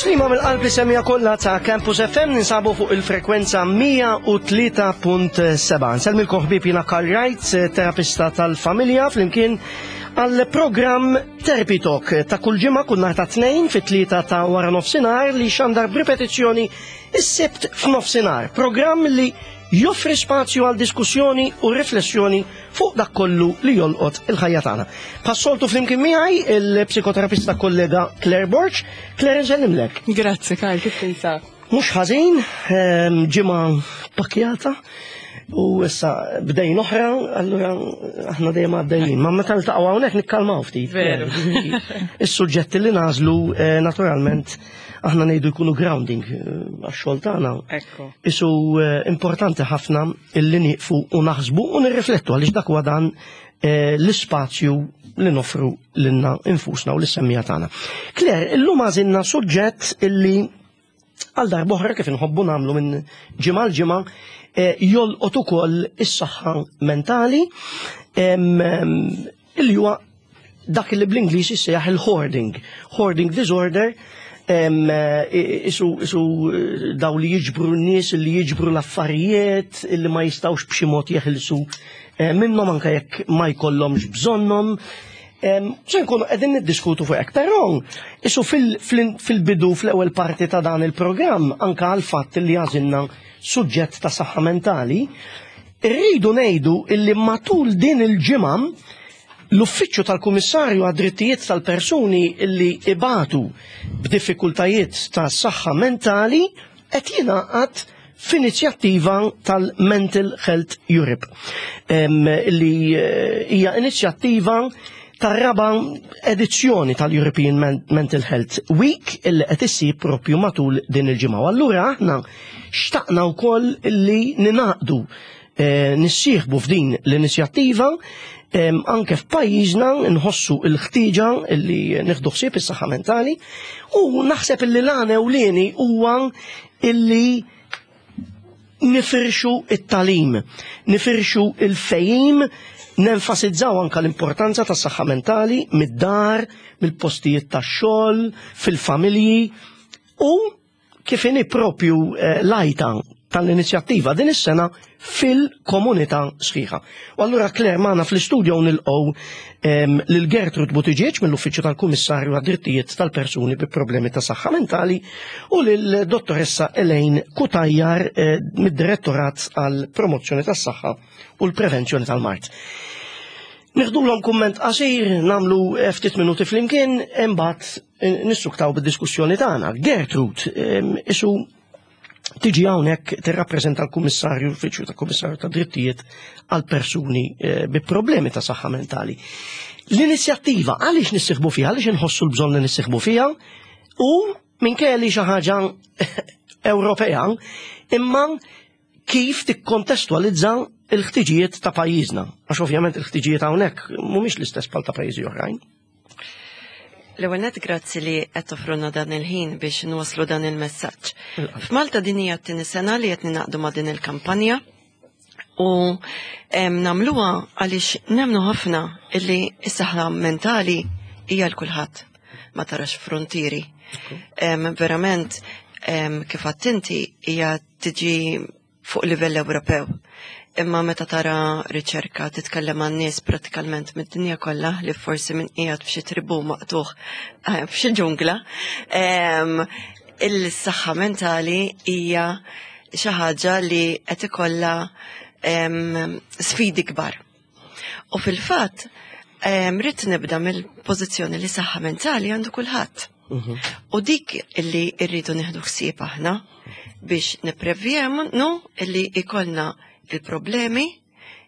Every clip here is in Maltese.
Tislima mill-qalb li semija kollha ta' Campus FM ninsabu fuq il-frekwenza 103.7. Nselmilkom ħbieb jiena Karl Wright, terapista tal-familja flimkien għal programm Therapy Talk ta' kull ġimgħa kull nhar ta' tnejn fit-tlieta ta' wara nofsinhar li xandar b'ripetizzjoni is-sibt f'nofsinhar. Programm li joffri spazju għal diskussjoni u riflessjoni fuq dak kollu li jolqot il-ħajja tagħna. Passoltu flimkien miegħi il-psikoterapista kollega Claire Borg. Claire nsellimlek. Grazzi Karl, kif tinsab? Mhux ħażin, ehm, ġimgħa pakjata u issa bdejn oħra, allura aħna dejjem għaddejjin. Ma meta niltaqgħu hawnhekk nikkalmaw ftit. Veru. Is-suġġetti li nażlu eh, naturalment aħna ngħidu jkunu grounding eh, għax-xogħol tagħna. Ekku. Isu eh, importanti ħafna illi nieqfu u naħsbu u nirriflettu għaliex dak huwa dan eh, l-ispazju li nofru lilna infusna u l-semmija tagħna. Claire, illum għażilna suġġett illi għal darb'oħra kif inħobbu nagħmlu minn ġimgħa l ġimgħa eh, jolqot ukoll is-saħħa mentali illi huwa dak li bl-Ingliż jissejjaħ il-hoarding. Hoarding disorder isu, isu eh, daw li jiġbru n-nies, li jiġbru l-affarijiet, li ma jistawx b'xi mod jeħilsu eh, minnhom anke jekk ma jkollhomx bżonnhom. Se nkunu qegħdin niddiskutu fuq hekk, però isu fil-bidu fl-ewwel parti ta' dan il-programm anke għal fatt li għażilna suġġett ta' saħħa mentali, irridu ngħidu illi matul din il-ġimgħa l-Uffiċċju tal-Kummissarju għad-Drittijiet tal-Persuni illi ibatu b'diffikultajiet ta' saħħa mentali qed jingħaqad f'inizjattiva tal-Mental Health Europe li eh, hija inizjattiva tar-raba edizzjoni tal-European Mental Health Week illi qed issir propju matul din il-ġimgħa. Allura aħna xtaqna wkoll li ninaqdu eh, nissieħbu f'din l-inizjattiva anke f'pajjiżna nħossu l-ħtieġa li nieħdu ħsieb is-saħħa mentali u naħseb illi l-għan ewlieni huwa illi nifirxu it-talim, nifirxu il-fejim, nenfasizzaw anka l-importanza tas saħħa mentali mid-dar, mill-postijiet tax-xogħol, fil-familji u kif inhi propju eh, lajta tal-inizjattiva din is-sena fil-komunità sħiħa. U allura Claire magħna fl-istudio nilqgħu ehm, lil Gertrud Buttigieg mill-Uffiċċju tal-Kummissarju għad-Drittijiet tal-Persuni bi Problemi ta' Saħħa Mentali u lil Dottoressa Elaine Kutajjar eh, mid-Direttorat għal Promozzjoni tas-Saħħa u l-Prevenzjoni tal-Mard. Niħdulhom kumment qasir, namlu eh, ftit minuti flimkien, imbagħad eh, nissuktaw bid-diskussjoni tagħna. Gertrud, ehm, isu tiġi hawnhekk tirrappreżenta l-Kummissarju l-Uffiċċju tal-Kummissarju ta' Drittijiet għal persuni eh, bi problemi ta' saħħa mentali. L-inizjattiva għaliex nissieħbu fiha, għaliex inħossu l-bżonn li nissieħbu fiha u minkejja li xi ħaġa Ewropea, imma kif tikkontestwalizza l-ħtiġijiet ta' pajjiżna. Għax ovvjament il-ħtiġijiet hawnhekk mhumiex l-istess bħal ta' pajjiżi oħrajn. L-ewwel nett grazzi li qed toffruna dan il-ħin biex nwaslu dan il-messaġġ. F'Malta din hija t-tieni sena li qed ninaqdu ma' din il-kampanja u nagħmluha għaliex nemmnu ħafna illi s-saħħa mentali hija l kulħadd ma tarax frontieri. Verament kif għadt inti hija tiġi fuq livell Ewropew. Imma meta tara riċerka titkellem għan nies prattikalment mid-dinja kollha li forsi minn qiegħed f'xi tribu maqtuħ eh, f'xi ġungla, il-saħħa mentali hija xi ħaġa li qed ikollha sfidi kbar. U fil-fatt, rrid nibda mill-pożizzjoni li saħħa mentali għandu kulħadd. U dik illi rridu nieħdu ħsieb aħna biex nipprevjenu illi ikollna il-problemi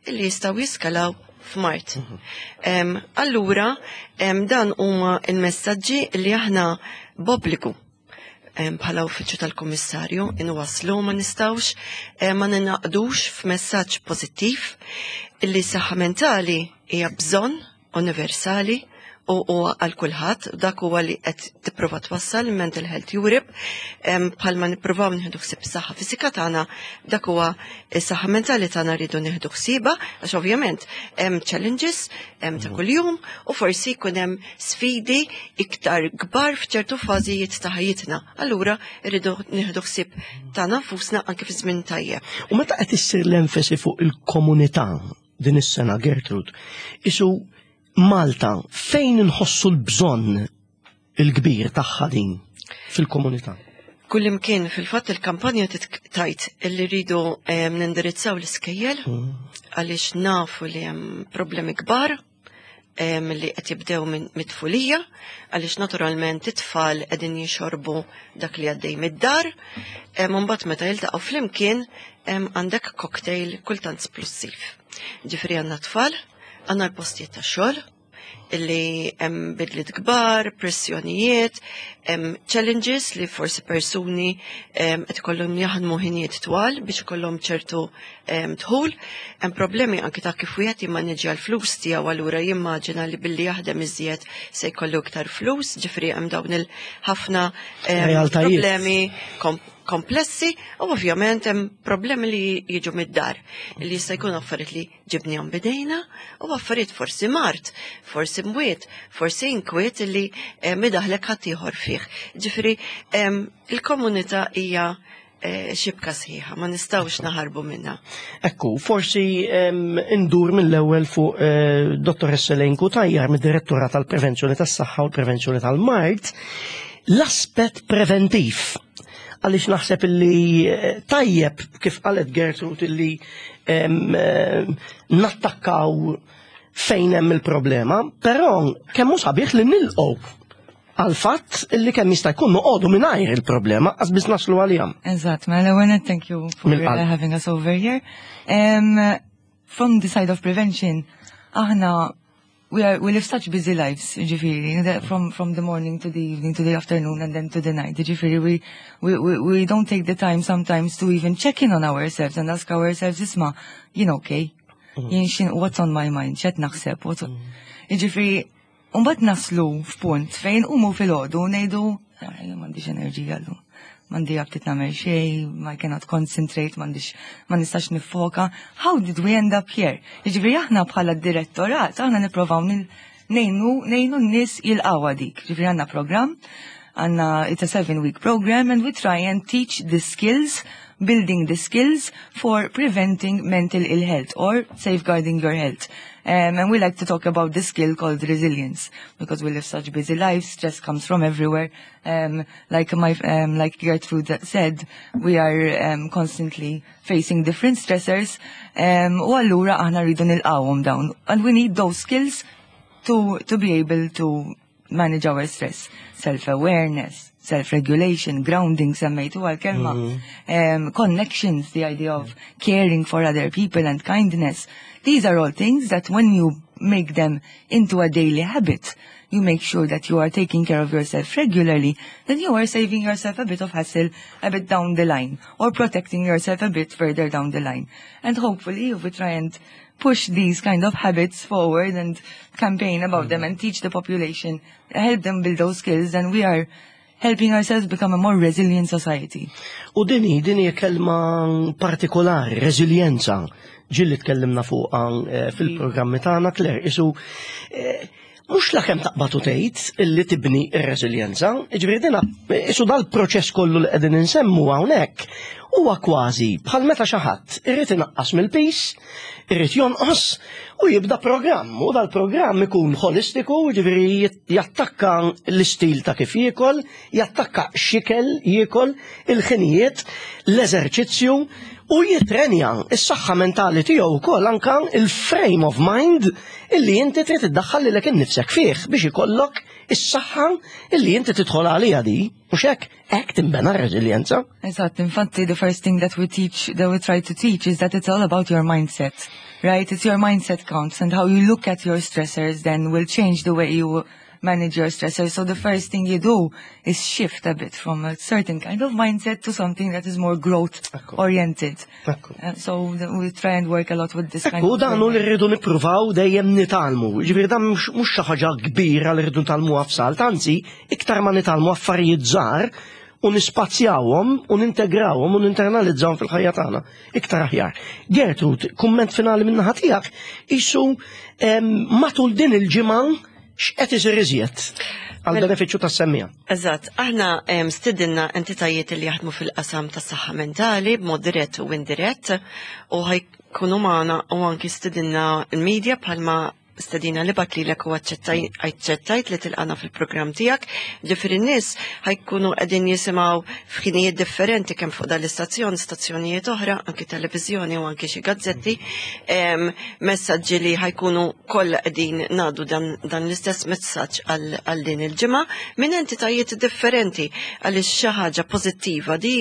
illi jistgħu jiskalaw f'mard. Allura, dan huma il-messaġġi li aħna b'obbligu bħala uffiċċju tal-Kummissarju inwaslu ma nistgħux ma ninaqdux f'messaġġ pożittiv illi saħħa mentali hija bżonn universali. u huwa għal kulħadd, dak huwa li qed tipprova twassal Mental Health Europe, bħalma nippruvaw nieħdu ħsieb is-saħħa fiżika tagħna, dak huwa is-saħħa mentali tagħna rridu nieħdu ħsiebha, għax ovvjament hemm challenges hemm ta' kuljum u forsi jkun hemm sfidi iktar kbar f'ċertu fażijiet ta' ħajjitna. Allura rridu nieħdu ħsieb tagħna nfusna anke fi żmien tajjeb. U meta qed issir l-enfasi fuq il-komunità din is-sena, Gertrude, isu Malta fejn inħossu l-bżonn il-kbir tagħha din fil-komunità? Kullimkien, fil-fatt il-kampanja tajt illi rridu nindirizzaw l-iskejjel għaliex nafu li hemm problemi kbar li qed jibdew minn mit-tfulija, għaliex naturalment it-tfal qegħdin jixorbu dak li għaddej mid-dar, mbagħad meta jiltaqgħu flimkien għandek cocktail kultant splussiv. Ġifieri għandna tfal, għandna l-postijiet ta' xogħol, illi hemm bidliet kbar, pressjonijiet, hemm challenges li forsi persuni qed ikollhom jaħdmu ħinijiet twal biex ikollhom ċertu dħul, hemm problemi anki ta' kif wieħed jimmaneġġja l-flus tiegħu, allura jimmaġina li billi jaħdem iżjed se jkollu iktar flus, ġifieri hemm dawn il-ħafna Realtajiet. problemi komplessi u ovvjament hemm problemi li jiġu mid-dar li jista' jkun affarijiet li ġibnihom bidejna u affarijiet forsi mard, forsi mwiet, forsi inkwiet li midaħlek ħaddieħor fih. Ġifieri il-komunità hija xibka sħiħa, ma nistgħux naħarbu minnha. Ekku, forsi indur mill-ewwel fuq Dottoressa Elaine Cutajar, mid-Direttura tal-Prevenzjoni tas-Saħħa u l-Prevenzjoni tal-Mard, l-aspett preventiv. Għaliex naħseb illi tajjeb kif qalet Gertrude illi nattakkaw fejn hemm il-problema, però kemm hu sabiħ li nilqgħu għal fatt illi kemm jista' jkun noqogħdu mingħajr il-problema qas biss naslu għalihom. Eżatt, mela l-ewwel nett thank you for Mill-qalb. having us over here. From the side of prevention, aħna we live such busy lives, ġifieri, that from the morning to the evening to the afternoon and then to the night. Ġifieri, we don't take the time sometimes to even check in on ourselves and ask ourselves, isma', jien okay? Jien xin, what's on my mind? X'qed naħseb? What's on... Ġifieri, mbagħad naslu f'punt fejn umu filgħodu ngħidu, "Ah, jien m'għandix enerġija llum. M'għandi aptit nagħmel xejn, I cannot concentrate, m'għandix, ma nistax nifoka. How did we end up here?" Jiġifieri aħna bħala direttorat, aħna nipprovaw ngħinu n-nies jilqgħu dik. Ġifieri għandna program, għandna, it's a 7-week program, and we try and teach the skills, building the skills for preventing mental ill health or safeguarding your health. And we like to talk about this skill called resilience, because we live such busy lives, stress comes from everywhere. Like Gertrude said, we are constantly facing different stressors. U allura aħna rridu nilqawhom dawn. And we need those skills to be able to manage our stress. Self-awareness, self-regulation, grounding, semmejtu għal-kelma, connections, the idea of caring for other people and kindness. These are all things that when you make them into a daily habit, you make sure that you are taking care of yourself regularly, then you are saving yourself a bit of hassle a bit down the line, or protecting yourself a bit further down the line. And hopefully, if we try and push these kind of habits forward and campaign about them and teach the population, help them build those skills, then we are helping ourselves become a more resilient society. U dini kelma partikolari, resilienza, ġilli tkellimna fuqha fil-programmi tagħna, Claire, isu mhux la kemm taqbad u tgħid illi tibni r-reżiljenza, jiġifieri dina isu dal-proċess kollu li qegħdin insemmu hawnhekk huwa kważi bħal meta xi ħadd irid inaqqas mill-pis, irid jonqos u jibda programm, u dal-programm ikun holistiku, jiġifieri jattakka l-istil ta' kif jiekol, jattakka x'ikel jiekol, il-ħinijiet, l-eżerċizzju, u jitrenja is-saħħa mentali tiegħu wkoll anka il-frame of mind illi inti trid iddaħħal lilek innifsek fih biex ikollok is-saħħa illi inti tidħol għaliha di, mhux hekk, hekk tinbena r-reżiljenza. Eżatt, infatti the first thing that we teach, that we try to teach is that it's all about your mindset, right? It's your mindset counts, and how you look at your stressors then will change the way you manage your stressors. So the first thing you do is shift a bit from a certain kind of mindset to something that is more growth oriented. So we try and work a lot with this kind of. Dan li rridu nippruvaw dejjem nitgħallmu. Ġifieri dan mhux xi ħaġa kbira li rridu nitgħallmuha f'salt, anzi iktar ma nitgħallmu affarijiet żgħar u nispazzjawhom u nintegrawhom u ninternalizzawhom fil-ħajja tagħna iktar aħjar. Gertrud, kumment finali minn naħa tiegħek, isu matul din il-ġimgħa x'qed isir iżjed għal mela- benefiċċju tas-semmija. Eżatt, aħna stidinna entitajiet li jaħdmu fil-qasam tas-saħħa mentali b'mod dirett u indirett u ħajkunu magħna u anki stidinna l-medja bħalma stedina li bat lilek u aċċettajt li tilqana fil-programm tiegħek, ġifieri n-nies ħajkunu qegħdin jisimgħu f'ħinijiet differenti kemm fuq dal-istazzjon, stazzjonijiet oħra, anki televiżjoni u anki xi gazzetti, messaġġi li ħajkunu kollha qegħdin ngħaddu dan, dan l-istess messaġġ għal din il-ġimgħa minn entitajiet differenti għaliex xi ħaġa pożittiva di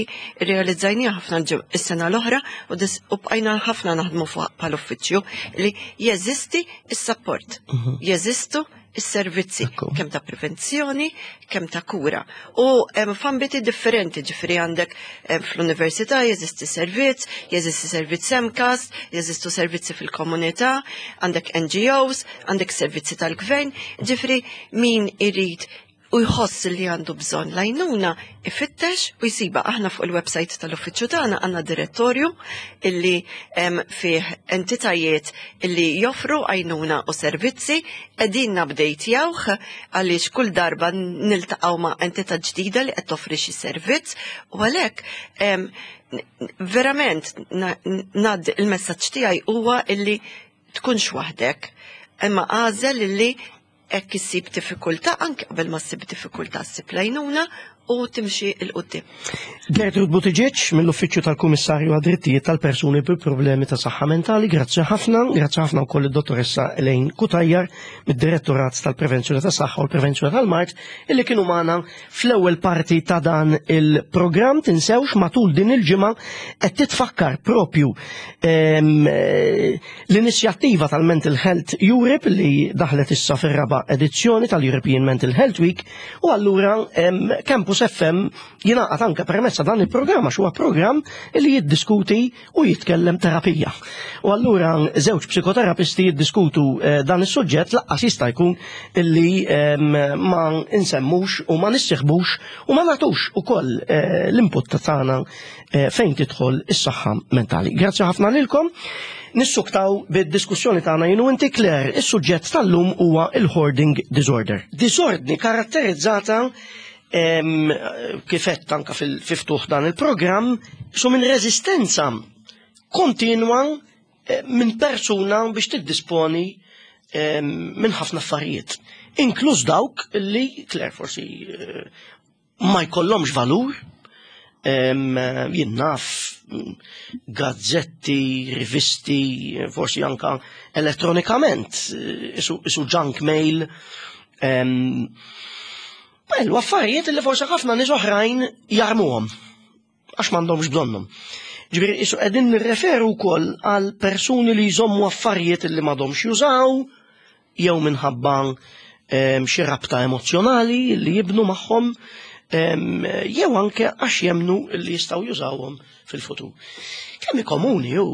rrealizzajniha ħafna is-sena l-oħra u bqajna ħafna naħdmu fuq bħal uffiċċju li jeżisti is-support. Jeżistu is-servizzi kemm ta' prevenzjoni, kemm ta' kura. U hemm f'ambiti differenti, ġifieri għandek fl-università jeżisti servizz, jeżisti servizz MCAST, jeżistu servizzi fil-komunità, għandek NGOs, għandek servizzi tal-gvern, ġifieri min irid u jħoss li għandu bżonn l-għajnuna ifittex u jsiba. Aħna fuq il-website tal-uffiċċju tagħna għandna direttorju illi hemm fih entitajiet illi joffru għajnuna u servizzi qegħdin nupdatejawh għaliex kull darba niltaqgħu ma' entità ġdida li qed toffri xi servizz u għalhekk verament nad il-messaġġ tiegħi huwa illi tkunx waħdek imma għażel illi hekk issib diffikultà, anke qabel ma ssib diffikultà ssib l-għajnuna u timxi 'l quddiem. Gertrud Buttigieg mill-Uffiċċju tal-Kummissarju għad-Drittijiet tal-Persuni bi Problemi ta' Saħħa Mentali, grazzi ħafna, grazzi ħafna wkoll id-Dottoressa Elaine Cutajar mid-Direttorat tal-Prevenzjoni tas Saħħa u l-Prevenzjoni tal-Mard illi kienu magħna fl-ewwel parti ta' dan il-programm. Tinsewx matul din il-ġimgħa qed titfakkar propju l-inizjattiva tal-Mental Health Europe li daħlet issa fir-raba' edizzjoni tal-European Mental Health Week u allura Campus FM jingħaqad anke permezz ta' dan il-programm għax huwa programm li jiddiskuti u jitkellem terapija. U allura żewġ psikoterapisti jiddiskutu dan is-suġġett lanqas jista' jkun illi ma insemmux u ma nissieħbux u ma nagħtux ukoll l-input tagħna fejn tidħol is-saħħa mentali. Grazzi ħafna lilkom. Nissuktaw bid-diskussjoni tagħna jien u inti Claire, is-suġġett tal-lum huwa il-hoarding disorder. Disordni karatterizzata kif għedt anka fil-ftuħ dan il-programm su minn reżistenza kontinwa minn persuna biex tiddisponi minn ħafna affarijiet. Inkluż dawk li, Claire, forsi ma jkollhomx valur, jien naf gazzetti, rivisti, forsi anka elettronikament, isu junk mail. Bellu, affarijiet li forsi ħafna nies oħrajn jarmuhom għax m'għandhomx bżonnhom. Ġifieri isu qegħdin nirreferu wkoll għal persuni li jżommu affarijiet li m'għadhomx jużaw jew minħabba xi rabta emozjonali li jibnu magħhom jew anke għax jemnu li jistgħu jużawhom fil-futur. Kemm komuni u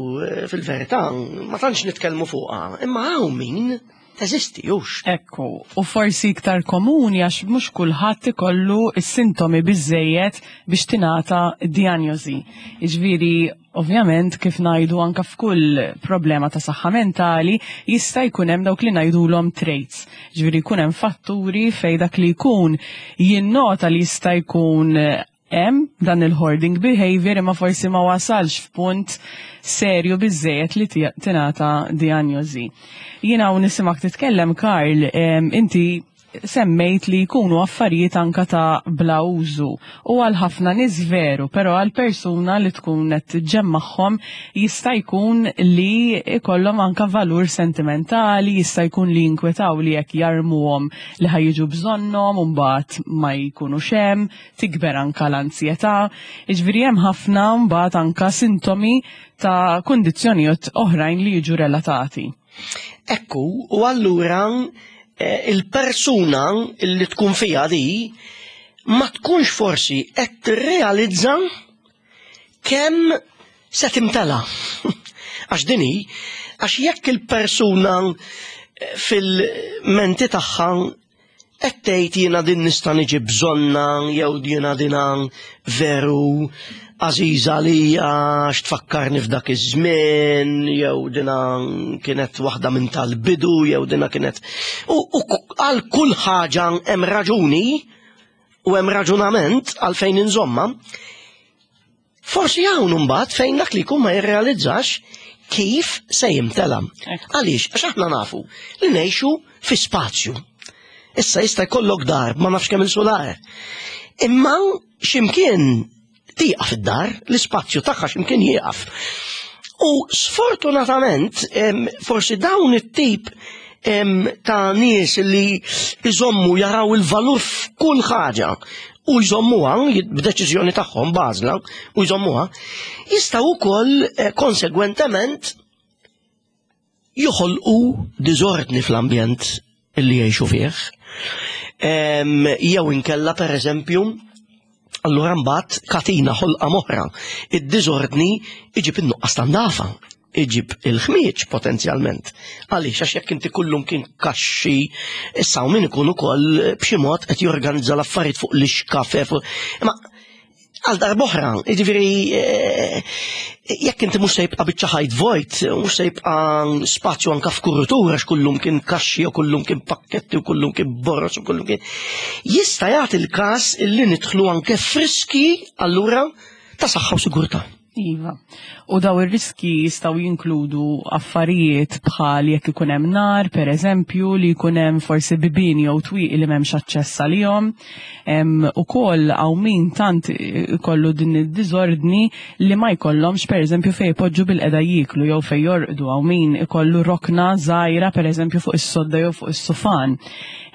fil-verità ma tantx nitkellmu fuqha, imma hawn min teżisti hux. Ekku, u forsi iktar komuni għax mhux kulħadd ikollu s-sintomi biżejjed biex tingħata diagnosi. Jiġifieri, ovvjament, kif ngħidu anka f'kull problema ta' saħħa mentali, jista' jkun hemm dawk li ngħidulhom traits. Ġifieri jkun hemm fatturi fejn dak li jkun jinnota li jista' jkun hemm dan il-hoarding behavior imma forsi ma wasalx f'punt serju biżejjed li tingħata diagnosi. Jiena u nisimak titkellem, Karl, inti semmejt li jkunu affarijiet anka ta' bla użu u għal ħafna nies veru, però għal persuna li tkun qed ġemmagħhom jista' jkun li ikollhom anka valur sentimentali, jista' jkun li jinkwetaw li jekk jarmuhom li ħa jiġu bżonnhom u mbagħad ma jkunux hemm, tikber anka l-ansjetà. Jiġifieri hemm ħafna mbagħad anka sintomi ta' kundizzjonijiet oħrajn li jiġu relatati. Ekku, u allura Il-persuna li tkun fija di ma tkunx forsi qed tirrealizza kemm se timtela. Għax din hi, għax jekk il-persuna fil-menti tagħha qed tgħid jiena din nista' niġi bżonna jew jiena dina veru għażiża għalija għax tfakkarni f'dak iż-żmien jew dina kienet waħda minn tal-bidu jew dina kienet u għal kull ħaġa hemm raġuni u hemm raġunament għalfejn inżomma. Forsi hawn imbagħad fejn dak li jkun ma jirrealizzax kif se jimtela. Għaliex, għax aħna nafu li ngħixu fi spazju. Issa jista' jkollok dar ma nafx kemm il-sular. Imma x'imkien tieqaf id-dar, l-ispazju tagħha x'imkien jieqaf. U sfortunatament, forsi dawn it-tip ta' nies li jżommu jaraw il-valur f'kull ħaġa u jżommuha b'deċiżjoni tagħhom b'għażla u jżommuha, jistgħu wkoll eh, konsegwentement joħolqu diżordni fl-ambjent li jgħixu fih. Jew inkella pereżempju allura mbagħad katina ħolqa moħra. Id-diżordni iġib in-nuqqas ta' ndafa iġib il-ħmieġ potenzjalment. Għaliex għax jekk inti kullum kien kaxxi, issa u min ikun ukoll b'xi mod qed jorganizza l-affarijiet fuq l-ixkafe. Imma għal darboħra, jiġifieri eh, jekk inti mhux se jibqa' biċċa ħajt vojt, mhux se jibqa' spazju anka f'kurritur għax kullum kien kaxxi u kullum kien pakketti u kullum kien borroz u kullum kien. Jista' jagħti l-każ li nidħlu anke friski allura ta' saħħa u sigurtà. Iva. U daw ir-riski jistgħu jinkludu affarijiet bħal jekk ikun hemm nar, per eżempju, li jkun hemm forsi bibien jew twieqi li m'hemmx aċċess għalihom. Ukoll hawn min tant ikollu din id-diżordni li ma jkollhomx per eżempju fejn ipoġġu bil-qeda jieklu jew fejn jorqdu, hawn min ikollu rokna żgħira per eżempju fuq is-sodda jew fuq is-sufan.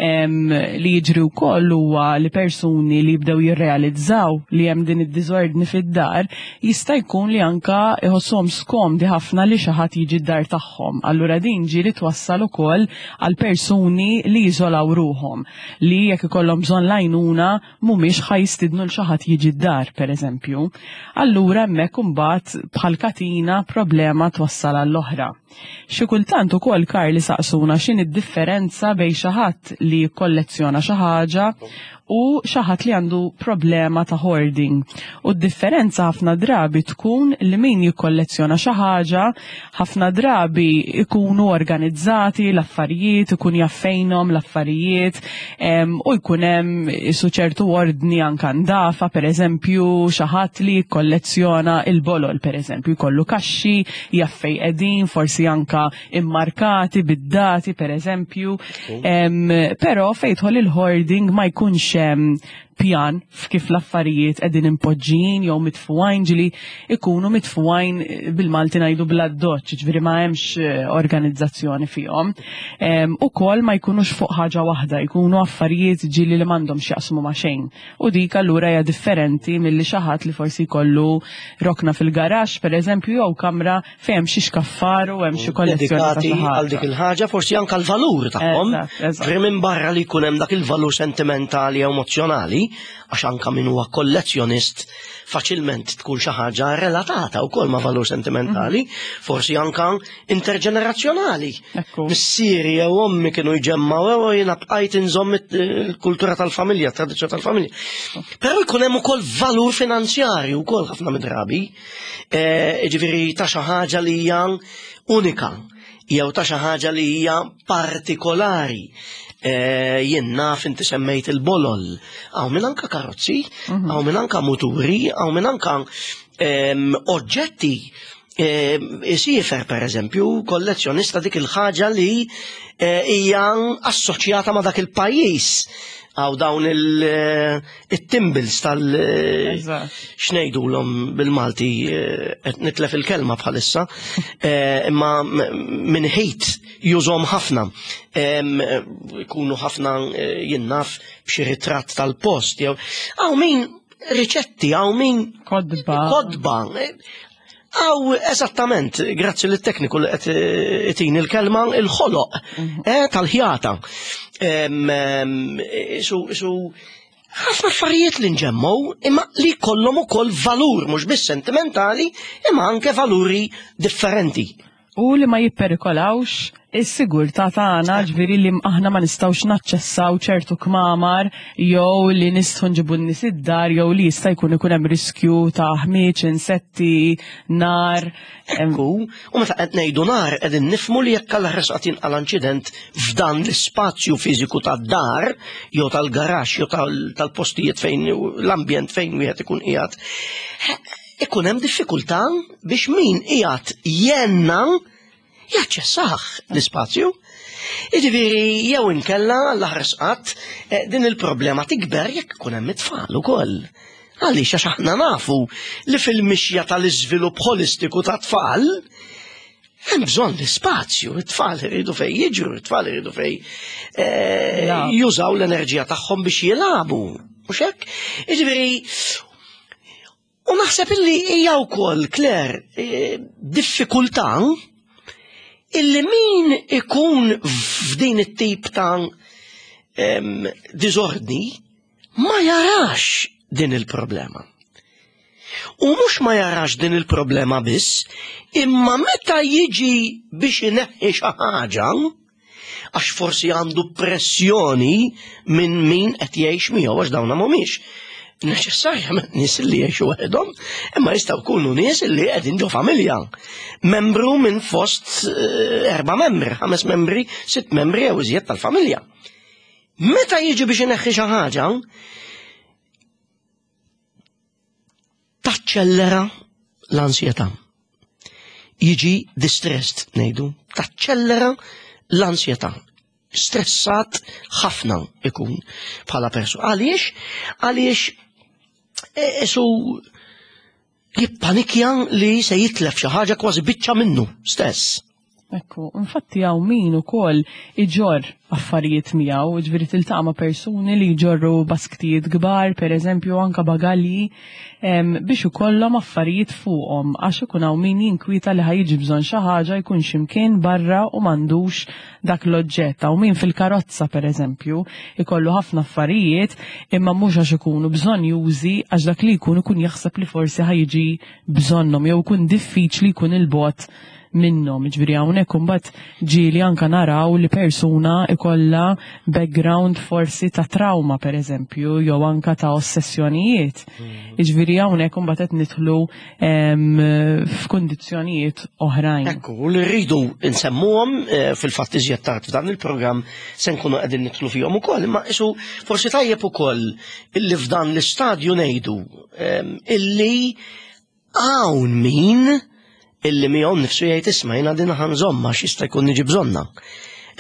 Li jiġri wkoll huwa li persuni li jibdew jirrealizzaw li hemm din id-diżordni fid-dar jista' jkun li anka iħossuhom skomdi ħafna li xi ħadd jiġi d-dar tagħhom. Allura din ġieli twassal ukoll għal persuni li jiżolaw ruħhom, li jekk ikollhom bżonn l-għajnuna mhumiex ħa jistidnu l xi ħadd jiġi d-dar, pereżempju. Allura hemmhekk imbagħad bħal katina problema twassal għall-oħra. Xi kultant ukoll Karl isaqsuna x'inhi d-differenza bejn xi ħadd li jikkollezzjona xi ħaġa u xi ħadd li għandu problema ta' hoarding. U d-differenza ħafna drabi tkun li min jikkollezzjona xi ħaġa ħafna drabi ikunu organizzati l-affarijiet, ikun jaf fejnhom l-affarijiet u jkun hemm isu ċertu ordni anka ndafa, pereżempju xi ħadd li jikkollezzjona il-bolol pereżempju, jkollu kaxxi, jaf fejn qegħdin, forsi anka immarkati bid-dati pereżempju. Però fejn jidħol il-hoarding ma jkunx hemm pjan f'kif l-affarijiet qegħdin impoġġijin jew mitfugħin ġili ikunu mitfugħin eh, bil-Malti ngħidu bla doċ, ġifieri ma hemmx eh, organizzazzjoni fihom. Ukoll ma jkunux fuq ħaġa waħda, jkunu affarijiet ġili li m'għandhom x'jaqsmu ma' xejn. U dik allura hija differenti milli xi ħadd li forsi jkollu rokna fil-garaxx pereżempju jew kamra fejn hemm xi xkaffar u hemm xi kollezzjoni ta' xi ħaġa. Għal dik il-ħaġa forsi anke l-valur tagħhom. Ġifieri minn barra li jkun hemm dak il-valur sentimentali jew emozzjonali, għax anke min huwa kollezzjonist faċilment tkun xi ħaġa relatata wkoll ma' valur sentimentali, mhm. forsi anke interġenerazzjonali. Missieri jew ommi kienu jġemmaw jew jiena bqajt inżomm il-kultura tal-familja, tradizzjoni tal-familja. Però jkun hemm ukoll valur finanzjarju wkoll ħafna mid-drabi. Eh, ġifieri ta' xi ħaġa li hija unika jew ta' xi ħaġa li hija partikolari. Eh, jien naf inti semmejt il-bolol, hawn minn anka karozzi, mhm. hawn minn anka muturi, hawn minn anka ehm, oġġetti Isiefer per eżempju, kollezzjonista dik il-ħaġa li eh, hija assoċjata ma' dak il-pajjiż għaw dawn il-timbles eh, tal eh, xnejdu l-om bil-Malti qed nitlef il-kelma bħalissa, imma minn ħejt jużom ħafna. Ikunu ħafna jinnaf b'xi ritratt tal-post jew għaw min riċetti, għaw min kodba. Kodba. Għaw, eżattament, grazzi l tekniku li qed itin il-kelma, il-ħoloq mhm. eh, tal-ħjata. Isu ħafna affarijiet li nġemmu imma li kollhom ukoll valur mhux biss sentimentali imma anke valuri differenti. U li ma jipperikolawx is-sigurtà tagħna, ġifieri li aħna ma nistgħux naċċessaw ċertu kmamar jew li nistgħu nġibu n-nies id-dar jew li jista' jkun ikun hemm riskju ta' ħmieġ, insetti, nar. Ekku, u meta qed ngħidu nar qegħdin nifhmu li jekk Alla ħares qatt jinqala' inċident f'dan l-ispazju fiżiku tad-dar jew tal-garaxx jew tal-postijiet fejn l-ambjent fejn wieħed ikun qiegħed, ikun hemm diffikultà biex min qiegħed jenna jaċċessah l-ispazju. Jiġifieri jew inkella l-aħres qatt eh, din il-problema tikber jekk ikun hemm it-tfal ukoll. Għaliex għax aħna nafu li fil-mixja tal-iżvilupp holistiku ta' tfal hemm bżonn l-ispazju, it-tfal iridu fej jiġru, it-tfal iridu fej eh, jużaw l-enerġija tagħhom biex jilagħbu. Mhux hekk? Jiġifieri U naħseb illi hija wkoll, Claire, eh, diffikultà illi min ikun f'din it-tip ta' diżordni ma jarax din il-problema. U mhux ma jarax din il-problema biss, imma meta jiġi biex ineħħi xi ħaġa, għax forsi għandu pressjoni minn min qed jgħix miegħu għax dawna mhumiex neċessarjament nies li jgħixu waħedhom, imma jistgħu jkunu nies li qegħdin ġo familja. Membru minn fost eh, erba' membri, ħames membri, sitt membri jew iżjed tal-familja. Meta jiġi biex ineħħi xi ħaġa, taċċellera l-ansjetà. Jiġi distressed ngħidu, taċċellera l-ansjetà. Stressat ħafna ikun bħala persuna. Għaliex? Għaliex isu jippanikja li se jitlef xi ħaġa kważi biċċa minnu stess. Ekku, infatti hawn min ukoll iġorr affarijiet miegħu, ġifieri tiltaqa' ma' persuni li jġorru basktijiet kbar, pereżempju anke bagalji, biex ikollhom affarijiet fuqhom għax ikun hawn min jinkwieta li ħa jiġi bżonn xi ħaġa jkun xi mkien barra u m'għandux dak l-oġġett. Hawn min fil-karozza pereżempju ikollu ħafna affarijiet imma mhux għax ikunu bżonnjużi għax dak li jkun ikun jaħseb li forsi ħa jiġi bżonnhom jew ikun diffiċli jkun 'il bogħod minnhom. Ġifieri hawnhekk imbagħad ġieli anke naraw li persuna ikollha background forsi ta' trauma pereżempju jew anke ta' ossessjonijiet. Mm. Ġifieri hawnhekk imbagħad qed nidħlu f'kundizzjonijiet oħrajn. Ekku, li rridu nsemmuhom eh, fil-fatt iżjed tard f'dan il-programm se nkunu qegħdin nidħlu fihom ukoll, imma isu forsi tajjeb ukoll illi f'dan l-istadju ngħidu illi Hawn min illi miegħu nnifsu jgħid isma' jiena din ħa nżommha għax jista' jkun niġi bżonnha.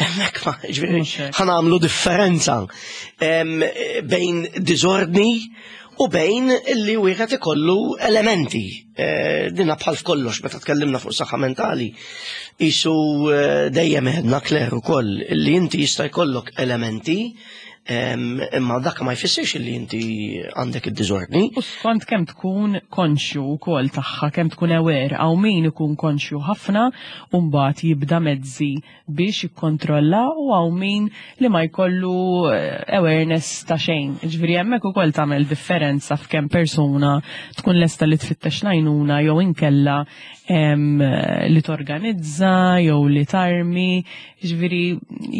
Hemmhekk ma ġifieri ħa nagħmlu differenza bejn diżordni u bejn illi wieħed ikollu elementi. Eh, dinna bħal f'kollox meta tkellimna fuq saħħa mentali, isu eh, dejjem għedna Claire ukoll illi inti jista' jkollok elementi Imma dak ma jfissirx li inti għandek id-diżordni. U skont kemm tkun konxju wkoll tagħha, kemm tkun aware, hawn min ikun konxju ħafna u mbagħad jibda mezzi biex jikkontrolla u hawn min li ma jkollu eh, awareness ta' xejn. Ġifieri hemmhekk ukoll tagħmel differenza f'kemm persuna tkun lesta li tfittex l-għajnuna jew inkella li torganizza jew li tarmi, ġifieri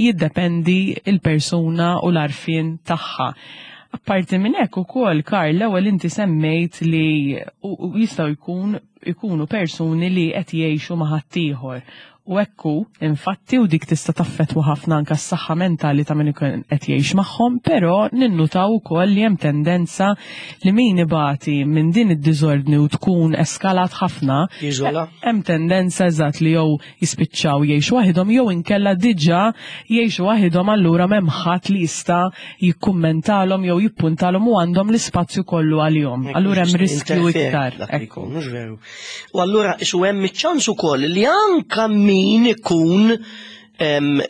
jiddependi il-persuna u l-għarfien tagħha. Apparti minn hekk ukoll, Karl, l-ewwel inti semmejt li jistgħu jkun ikunu persuni li qed jgħixu ma' ħaddieħor. U hekk hu, infatti, u dik tista' taffettwa ħafna anke s-saħħa mentali ta' min ikun qed jgħix magħhom, però ninnutaw ukoll li hemm tendenza li min ibati minn din id-diżordni u tkun eskalat ħafna, Jiżola. hemm tendenza eżatt li jew jispiċċaw jgħixu waħidhom jew inkella diġà jgħixu waħidhom allura m'hemm ħadd li jista' jikkummentalhom jew jippuntalhom u għandhom l-ispazju kollu għalihom. Allura hemm riskju iktar. Dak li jkun, mhux veru. U allura isu hemm iċ-ċans ukoll li anka min ikun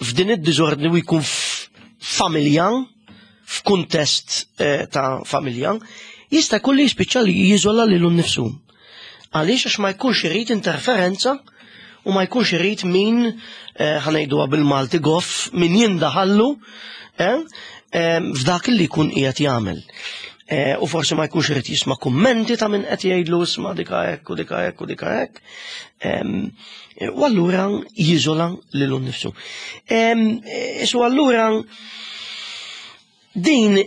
f'din id-diżordni u jkun familja, f'kuntest eh, ta' familja, jista' jkun li jispiċċa li jiżola lilu nnifsu. Għaliex għax ma jkunx irid interferenza u ma jkunx irid min eh, ħanejduha bil-Malti goff min jindaħallu f'dak li jkun qiegħed jagħmel. U forsi ma jkunx irid jisma' kummenti ta' min qed jgħidlu isma' dika hekk u dika hekk u dika hekk. U allura jiżola lilu nnifsu. Isu allura din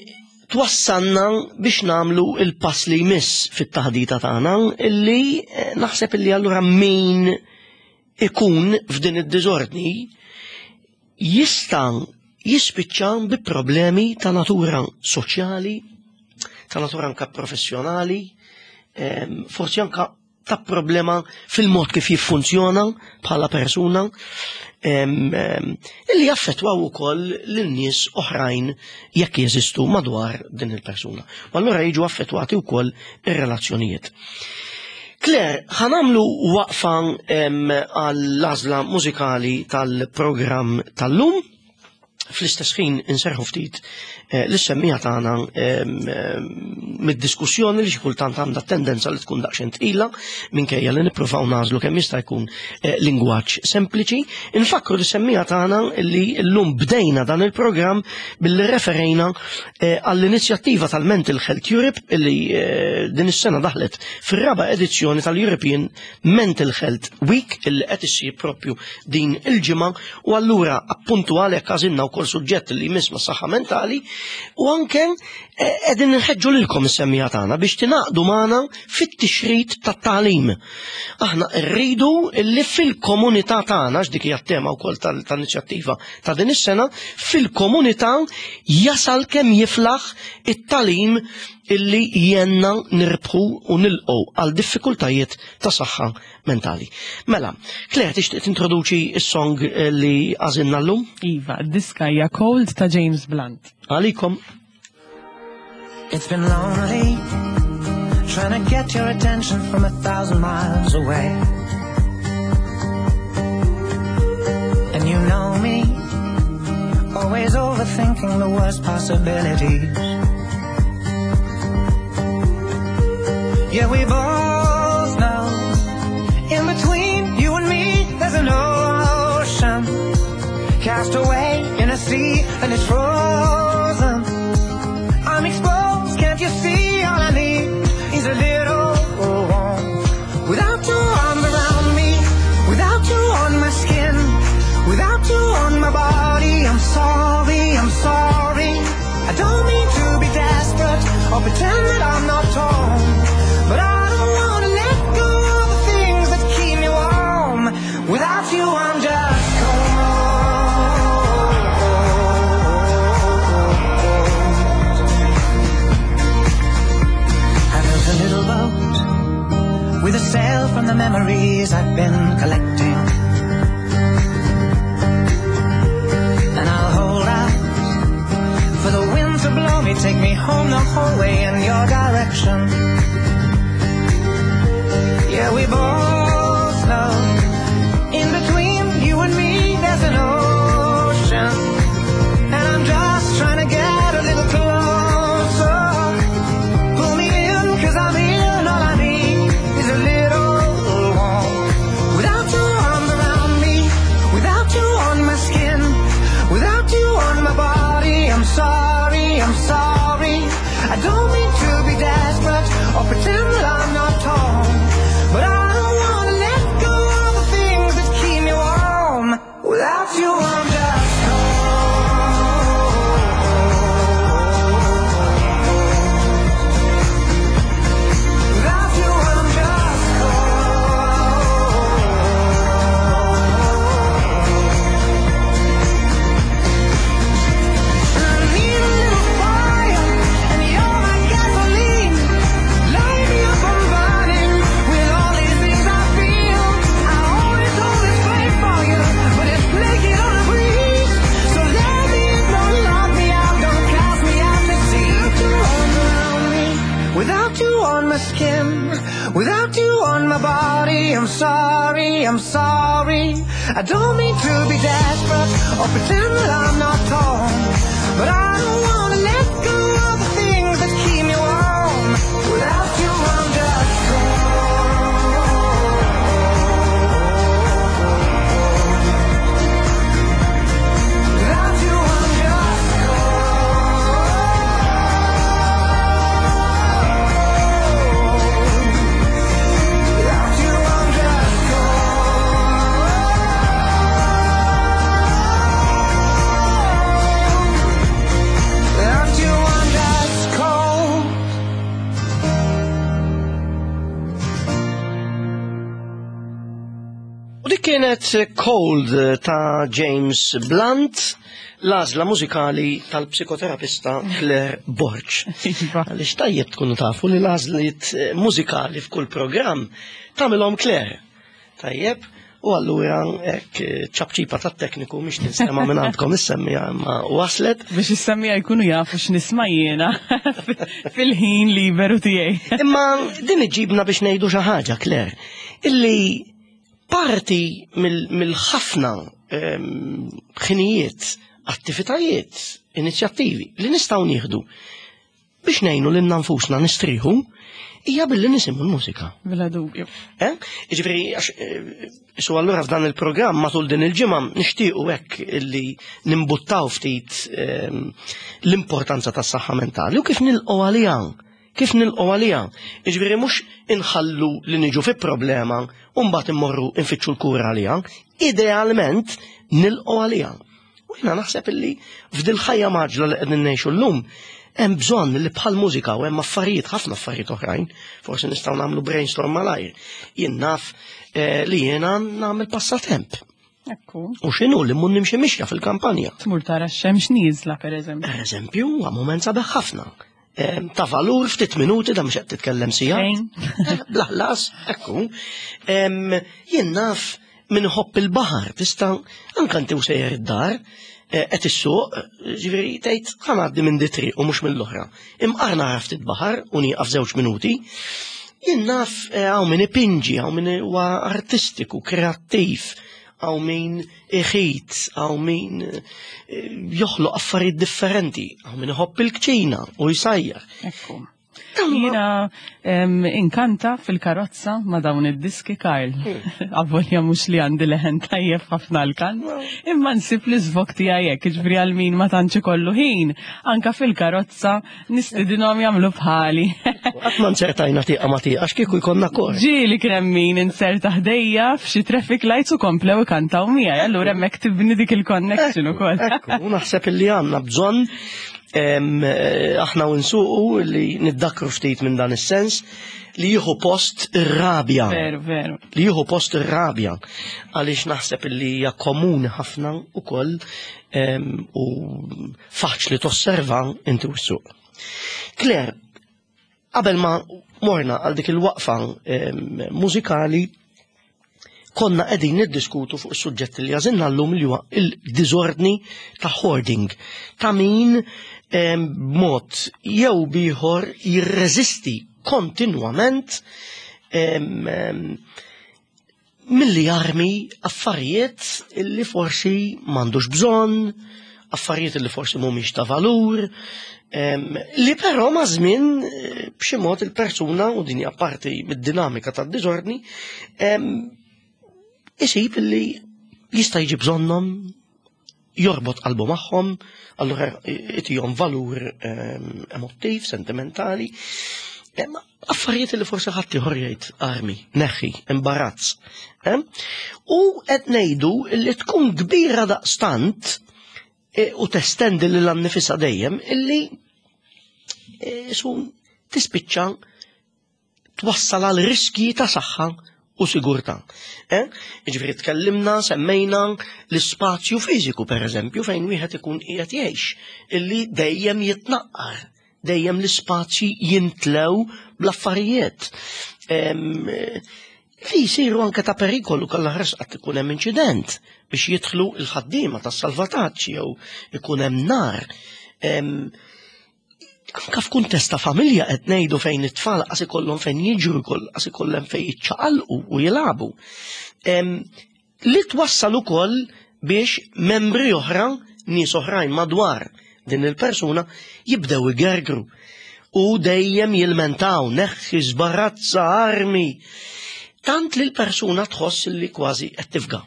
twassalna biex nagħmlu il-pass li jmiss fit-taħdita tagħna illi naħseb illi allura min ikun f'din id-diżordni jista' jispiċċa bi problemi ta' natura soċjali, ta' natura anka professjonali, forsi anka ta' problema fil-mod kif jiffunzjona bħala persuna, illi jaffettwaw ukoll lil nies oħrajn jekk jeżistu madwar din il-persuna. U allura jiġu affettwati wkoll ir-relazzjonijiet. Claire, ħa nagħmlu waqfa għall-għażla mużikali tal-programm tal-lum. Fl-istess ħin inserħu ftit lis-semmiegħa tagħna mid-diskussjoni li xi kultant għandha tendenza li tkun daqsxejn tqila minkejja li nippruvaw nagħżlu kemm jista' jkun lingwaġġ sempliċi. Infakkru lis-semmiegħa tagħna li llum bdejna dan il-programm billi referejna għall-inizjattiva tal-Mental Health Europe li din is-sena daħlet fir-raba' edizzjoni tal-European Mental Health Week illi qed issir propju din il-ġimgħa. U allura appuntu għalhekk għażilna wkoll suġġett li jmiss mas-saħħa mentali u anke qegħdin inħeġġu lilkom is-semmiegħa tagħna biex tingħaqdu magħna fit-tixrid tat-tagħlim. Aħna rridu li fil-komunità tagħna, għax dik hija t-tema wkoll tal-inizjattiva ta' din is-sena, fil-komunità jasal kemm jiflaħ it-tagħlim illi jenna nirbħu u nilqgħu għal diffikultajiet ta' saħħa mentali. Mela, Claire, tixtieq tintroduċi s-song li għażilna llum? Iva, diska hija Cold ta' James Blunt. Għalikom. It's been lonely trying to get your attention from 1,000 miles away. And you know me, always overthinking the worst possibilities. Yeah, we both know, in between you and me there's an ocean, cast away in a sea and it's frozen. I'm exposed, can't you see? All I need is a little warmth. Without your arms around me, without you on my skin, without you on my body, I'm sorry, I'm sorry. I don't mean to be desperate or pretend that I'm not torn, but I don't want to let go of the things that keep me warm. Without you, I'm just cold. I built a little boat with a sail from the memories I've been collecting, and I'll hold out for the wind to blow me, take me home the whole way in your direction. Yeah, we both know, in between you and me there's an ocean, and I'm just trying to get a little closer. Pull me in, because I'm in, all I need is a little warmth. Without your arms around me, without you on my skin, without you on my body, I'm sorry, I'm sorry. I don't mean to be desperate or pretend that I'm not torn, but I don't want to let go of the things that keep me warm. Without you, I'm just cold. Without you, I'm just cold. I need a little fire, and you're my gasoline. Light me up, I'm burning with all these things I feel. I always hold this flame for you, but it's flaking on a breeze. So let me in, don't lock me out, don't cast me out to sea. Without you around me, without you on my skin, without you on my body, I'm sorry, I'm sorry. I don't mean to be desperate or pretend that I'm not torn, but I don't want to let go of the things that keep me warm. Without you, I'm just cold. Without you, I'm just cold. U dik kienet Cold ta' James Blunt, l-għażla mużikali tal-psikoterapista Claire Borg. Iva. Għaliex tajjeb tkunu tafu li l-għażliet mużikali f'kull programm tagħmilhom Claire. Tajjeb, u allura hekk ċapċipa tat-tekniku mhix tinstema' minn għandkom is-semmija imma waslet. Biex is-semmija jkunu jafu x'nisma' jiena fil-ħin liberu tiegħi. Imma din iġibna biex ngħidu xi ħaġa, Claire, illi parti mill-ħafna ħinijiet, attivitajiet, inizjattivi li nistgħu nieħdu biex ngħinu lilna nfusna nistrieħu hija billi nisimgħu l-mużika. Bla dubju. Eh? Jiġifieri għax eh, su allura f'dan il-programm matul din il-ġimgħa nixtiequ hekk illi nimbuttaw ftit ehm, l-importanza tas-saħħa mentali u kif nilqgħu għaliha. Kif nilqgħu għaliha. Jiġifieri mhux inħallu li niġu fi problema u mbagħad immorru nfittxu l-kura għaliha. Idealment nilqgħu għaliha. U jiena naħseb illi f'dil ħajja maġla li qegħdin ngħixu llum hemm bżonn li bħal mużika u hemm affarijiet ħafna affarijiet oħrajn, forsi nistgħu nagħmlu brainstorm malajr. Jien naf eh, li jiena nagħmel passatemp. Ekku. U x'inhu li mmur nimxi mixja fil-kampanja. Tmur tara x-xemx nieżla pereżempju. Pereżempju, huwa mument sabiħ ħafna. Eh, ta' valur ftit minuti da mhux qed titkellem sija. Eh, bla ħlas, ekku. Jien naf min iħobb il-baħar, tista' anke inti u sejjer id-dar, eh, qed issuq, ġifieri tgħid ħa ngħaddi minn di triq u mhux mill-oħra. Imqar nara ftit baħar u nieqaf żewġ minuti. Jien naf hawn min ipinġi, hawn min huwa artistiku, kreattiv, hawn min iħit, hawn min eh, joħloq affarijiet differenti, hawn min iħobb il-kċina u jsajjar. Ekku. Jiena inkanta fil-karozza ma' dawn id-diski Karl. Hmm. Avolja mhux li għandi leħen tajjeb ħafna l-kant, imma nsib li żvok tiegħi hekk, jiġifieri għal min ma tantx ikollu ħin, anka fil-karozza Nistidinhom jagħmlu bħali. Qatt ma nsertajna tieqa ma tieqa x'kieku jkollna kor. Ġieli kien hemm min inserta ħdejja f'xi traffic lights u komplew ikantaw miegħi, allura hemmhekk tibni dik il-connection ukoll. Ekku, naħseb illi għandna bżonn eh, aħna u nsuqu li niddakru ftit minn dan is-sens li jieħu post ir-rabja. Veru, veru. Li jieħu post ir-rabja. Għaliex naħseb illi hija komuni ħafna ukoll u faċli tosserva inti u s-suq. Claire, qabel ma morna għal dik il-waqfa mużikali, konna qegħdin niddiskutu fuq is-suġġett li għażilna llum li huwa il-diżordni ta' hoarding, ta' min b'mod jew bieħor jirreżisti kontinwament milli jarmi affarijiet li forsi m'għandux bżonn, affarijiet li forsi mhumiex ta' valur, li però ma' żmien eh, b'xi mod il-persuna u din hija parti mid-dinamika tad-diżordni isib li jista' jiġi bżonnhom jorbot qalbu magħhom, allura itihom valur ehm, emottiv, sentimentali. Affarijiet li forsi ħadd ieħor jgħid armi, neħħi, imbarazz. Ehm, u qed ngħidu li tkun kbira daqstant e, u testendi lil annifisha dejjem illi e, su tispiċċa twassal għal riskji ta' saħħa u sigurtà. Eh? Jiġifieri tkellimna, semmejna l-ispazju fiżiku pereżempju fejn wieħed ikun qiegħed jgħix, illi dejjem jitnaqqar, dejjem l-ispazji jintlew bl-affarijiet. Li jsiru anke ta' perikolu kollha ħares qatt ikun hemm inċident biex jidħlu l-ħaddiema tas-salvataġġ jew ikun hemm nar. Anka f'kuntest ta' familja qed ngħidu fejn it-tfal qas ikollhom fejn jiġru, qas ikollhom fejn jiċċaqalqu u jilagħbu. Li twassal ukoll biex membri oħra, nies oħrajn madwar din il-persuna jibdew igergru u dejjem jilmentaw, neħħi żbarazza armi. Tant li l-persuna tħoss li kważi qed tifga.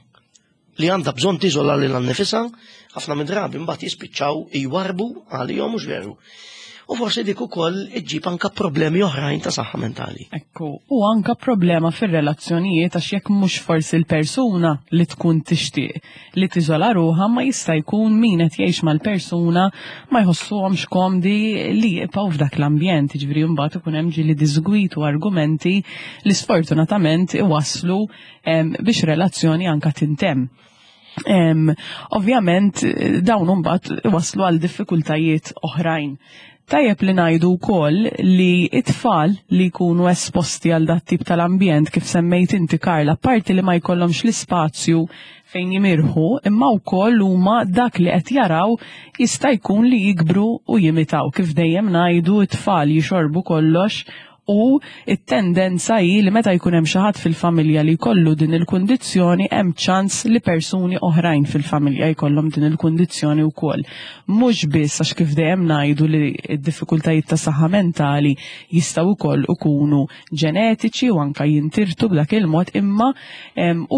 li għandha bżonn tiżola lilha nnifisha, ħafna mid-drabi mbagħad jispiċċaw jwarbu għalihom mhux veru. U forsi dik ukoll iġġib anka problemi oħrajn ta' saħħa mentali. Ekku, u anka problema fir-relazzjonijiet għax jekk mhux forsi l-persuna li tkun tixtieq li tiżola ruħha ma jista' jkun min qed jgħix mal-persuna ma jħossuhomx komdi li jibqgħu f'dak l-ambjent, jiġifieri mbagħad ikun hemm ġieli diżgwit u argumenti li sfortunatament iwasslu biex relazzjoni anka tintemm. Ovvjament dawn imbagħad iwasslu għal diffikultajiet oħrajn. Tajjeb li ngħidu wkoll li it-tfal li jkunu esposti għal dat tip tal-ambjent kif semmejt inti Karla, parti li ma jkollhomx l-ispazju fejn jimirħu, imma wkoll huma dak li qed jaraw jista' jkun li jikbru u jimitaw. Kif dejjem ngħidu it-tfal jixorbu kollox u t-tendenza hi li meta jkun hemm xi ħadd fil-familja li jkollu din il-kundizzjoni hemm ċans li persuni oħrajn fil-familja jkollhom din il-kundizzjoni wkoll. Mhux biss għax kif dejjem ngħidu li d-diffikultajiet ta' saħħa mentali jistgħu wkoll ikunu ġenetiċi u anka jintirtu b'dak il-mod imma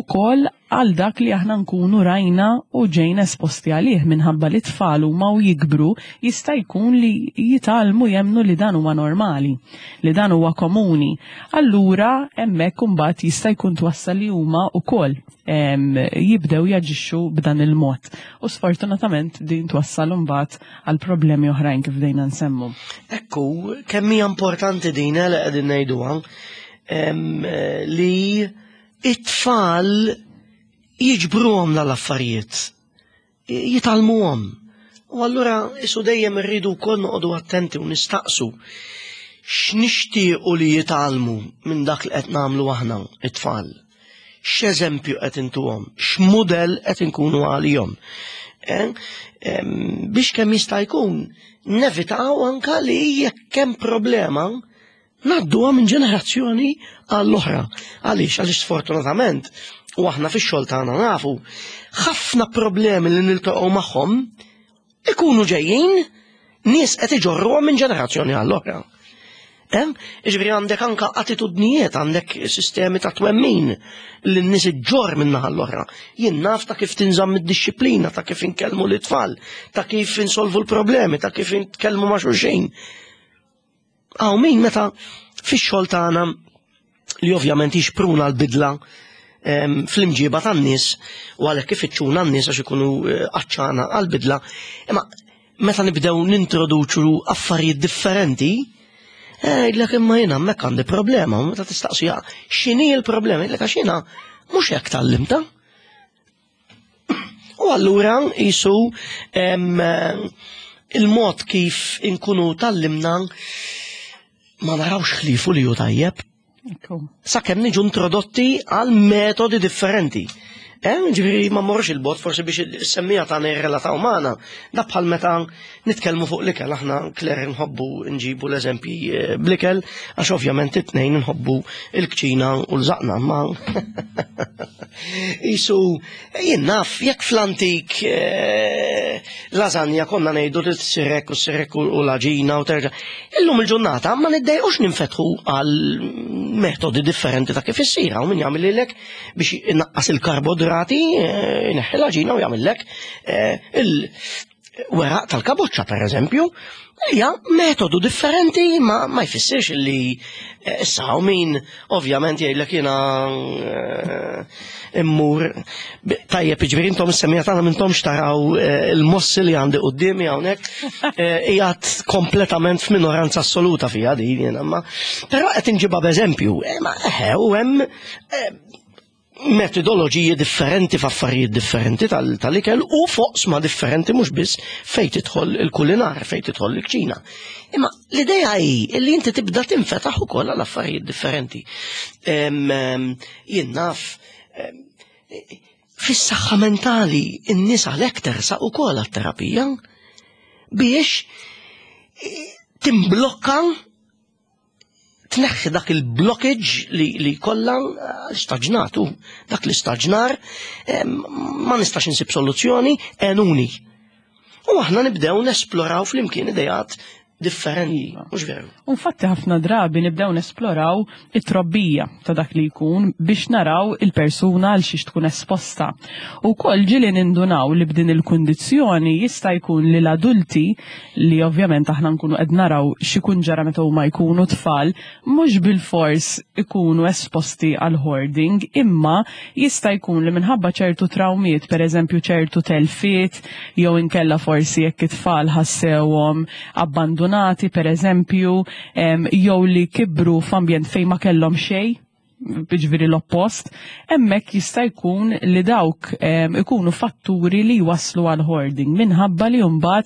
ukoll għal dak li aħna nkunu rajna u ġejna esposti għalih minħabba li tfal huma u jikbru jista' jkun li jitgħallmu jemmnu li dan huwa normali, li dan huwa komuni. Allura hemmhekk imbagħad jista' jkun twassal li huma wkoll jibdew jaġixxu b'dan il-mod. U sfortunatament din twassal imbagħad għal problemi oħrajn kif bdejna nsemmu. Ekku, kemm hija importanti din eh, li qegħdin ngħiduha li it-tfal jiġbruhom l-affarijiet, jitgħallmuhom. U allura isu dejjem irridu wkoll noqogħdu attenti u nistaqsu x'nixtiequ li jitgħallmu minn dak li qed nagħmlu aħna it-tfal. X'eżempju qed intuhom, x'mudell qed inkunu għalihom. Eh? Biex kemm jista' jkun nevitaw anka li jekk hemm problema Ngħadduha minn ġenerazzjoni għall-oħra. Għaliex? Għaliex sfortunatament, u aħna fix-xogħol tagħna nafu, ħafna problemi li niltaqgħu magħhom ikunu ġejjin nies qed iġorruhom minn ġenerazzjoni għall-oħra. Eh? Iġifieri għandek anka attitudnijiet, għandek sistemi ta' twemmin li n-nies iġġor minn naħa l-oħra. Jien naf ta' kif tinżamm id-dixxiplina, ta' kif inkellmu l-itfal, ta' kif insolvu l-problemi, ta' kif intkellmu ma' xulxin. Hawn min meta fix-xogħol tagħna li ovvjament jixpruna l-bidla fl-imġiba tan-nies u għalhekk ifittxuna n-nies għax ikunu eh, għaċċana għall-bidla, imma meta nibdew nintroduċu affarijiet differenti, eh, jgħidlek imma jiena hemmhekk għandi problema, u meta tistaqsija x'inhi l-problema, jgħidlek għax jiena mhux hekk tgħallimta. U allura jisu il-mod kif inkunu tallimna ma narawx ħlifu li hu tajjeb. Sakemm niġu introdotti għal metodi differenti. Eh, ġifieri ma morrux il-bot forsi biex semmija tagħna jirrelataw magħna. Da bħal meta nitkellmu fuq l-ikel aħna Claire nħobbu nġibu l-eżempji eh, bl-ikel għax ovvjament it-tnejn nħobbu il-kċina u l-żaqna ma Isu, jien naf, jekk fl-antik eh, lasagna konna ngħidu li tsirek u sirek u l-aġina u terġa'. Illum il-ġurnata ma niddejqux ninfetħu għal metodi differenti ta' kif issir hawn min jagħmel biex inaqqas il-karbodrati, eh, ineħħi l-aġina u jagħmillek eh, il-weraq tal-kaboċċa per eżempju, hija metodu differenti ma, ma jfissirx li eh, issa hawn min ovvjament jgħidlek jiena immur tajjeb jiġifieri intom is-semmija tagħna m'intomx taraw il-mossi li għandi quddiemi hawnhekk qiegħed kompletament f'minoranza assoluta fiha din jiena ma però qed inġibha b'eżempju ma eħe u hemm Eh, metodoloġiji differenti f'affarijiet differenti tal-ikel u foqsma differenti mhux biss fejn tidħol il-kulinar, fejn tidħol il-kċina. Imma l-idea hi li inti tibda tinfetaħ ukoll għal affarijiet differenti. Jien naf fis-saħħa mentali in-nies għalhekk tersaq ukoll għat-terapija biex eh, timblokka tneħħi dak il-blockage li, li kollha eh, staġnatu, dak l-istaġnar eh, ma nistax insib soluzzjoni, enuni. U aħna nibdew nesploraw flimkien idejat differenti, Iva. mhux veru. Infatti ħafna drabi nibdew nesploraw it-trobbija ta' dak li jkun biex naraw il-persuna għal xiex tkun esposta. U kol ġili nindunaw li b'din il-kundizzjoni jista' jkun li l-adulti li ovvjament aħna nkunu qed naraw x'ikun ġara meta huma jkunu tfal, mhux bil-fors ikunu esposti għal hoarding, imma jista' jkun li minħabba ċertu trawmiet, per eżempju ċertu telfiet, jew inkella forsi jekk it-tfal ħassewhom abbandonati, per eżempju, jew li kibru f'ambjent fejn ma kellhom xejn, jiġifieri l-oppost, hemmhekk jista' jkun li dawk ikunu fatturi li jwasslu għal hoarding minħabba li mbagħad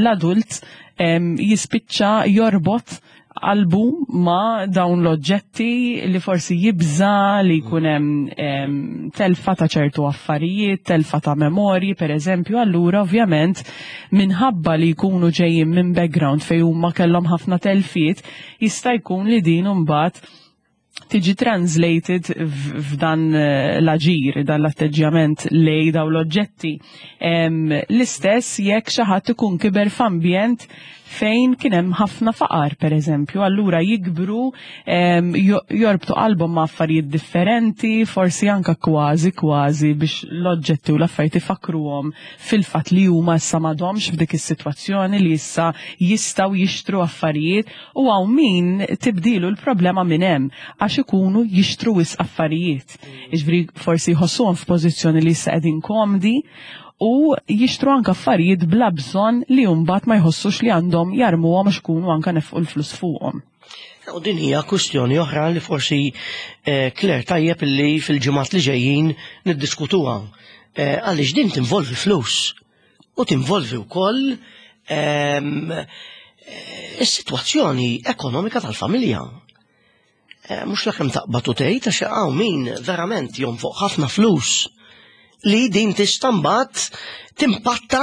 l-adult jispiċċa jorbot qalbu ma dawn l-oġġetti li forsi jibża li jkun hemm telfa ta' ċertu affarijiet, telfa ta' memorji, per eżempju, allura ovvjament minħabba li jkunu ġejjin minn background fejn huma kellhom ħafna telfiet, jista' jkun li din imbagħad tiġi translated f'dan l-aġir, dan l-atteġġjament lej daw l-oġġetti. L-istess jekk xi ħadd ikun kiber f'ambjent fejn kien hemm ħafna faqar, per eżempju, allura jikbru jorbtu qalbhom ma' affarijiet differenti, forsi anka kważi kważi biex l-oġġetti u l-affarijiet ifakruhom fil-fatt li huma issa m'għadhomx f'dik is-sitwazzjoni li issa jistgħu jixtru affarijiet, u hawn min tibdilu l-problema minn hemm għax ikunu jixtru wisq affarijiet. Jiġifieri forsi jħossuhom f'pożizzjoni li issa qegħdin komdi u jixtru anka affarijiet bla bżonn li mbagħad ma jħossux li għandhom jarmuhom għax ikunu anka nefqu l-flus fuqhom. U din hija kwistjoni oħra li forsi Claire tajjeb li fil-ġimgħat li ġejjin niddiskutuha. Għaliex din tinvolvi flus u tinvolvi wkoll is-sitwazzjoni ekonomika tal-familja. Mhux la kemm taqbad u tgħid għax hawn min verament jonfoq ħafna flus li din tista' mbagħad timpatta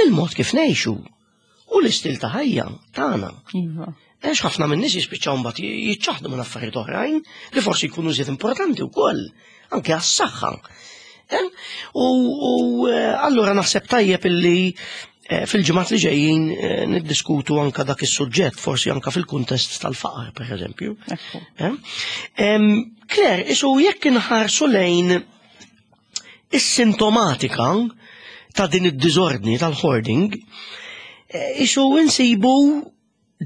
il-mod kif ngħixu u l-istil ta' ħajja tagħna. Għax ħafna minn nies jispiċċaw mbagħad jiċċaħdu minn affarijiet oħrajn li forsi jkunu żied importanti wkoll, anke għas-saħħa. U allura naħseb tajjeb illi fil-ġimgħat li ġejjin niddiskutu anka dak is-suġġett, forsi anka fil-kuntest tal-faqar, per eżempju. Claire, isu jekk inħarsu lejn is-sintomatika ta' din id-diżordni tal-hoarding, isu insibu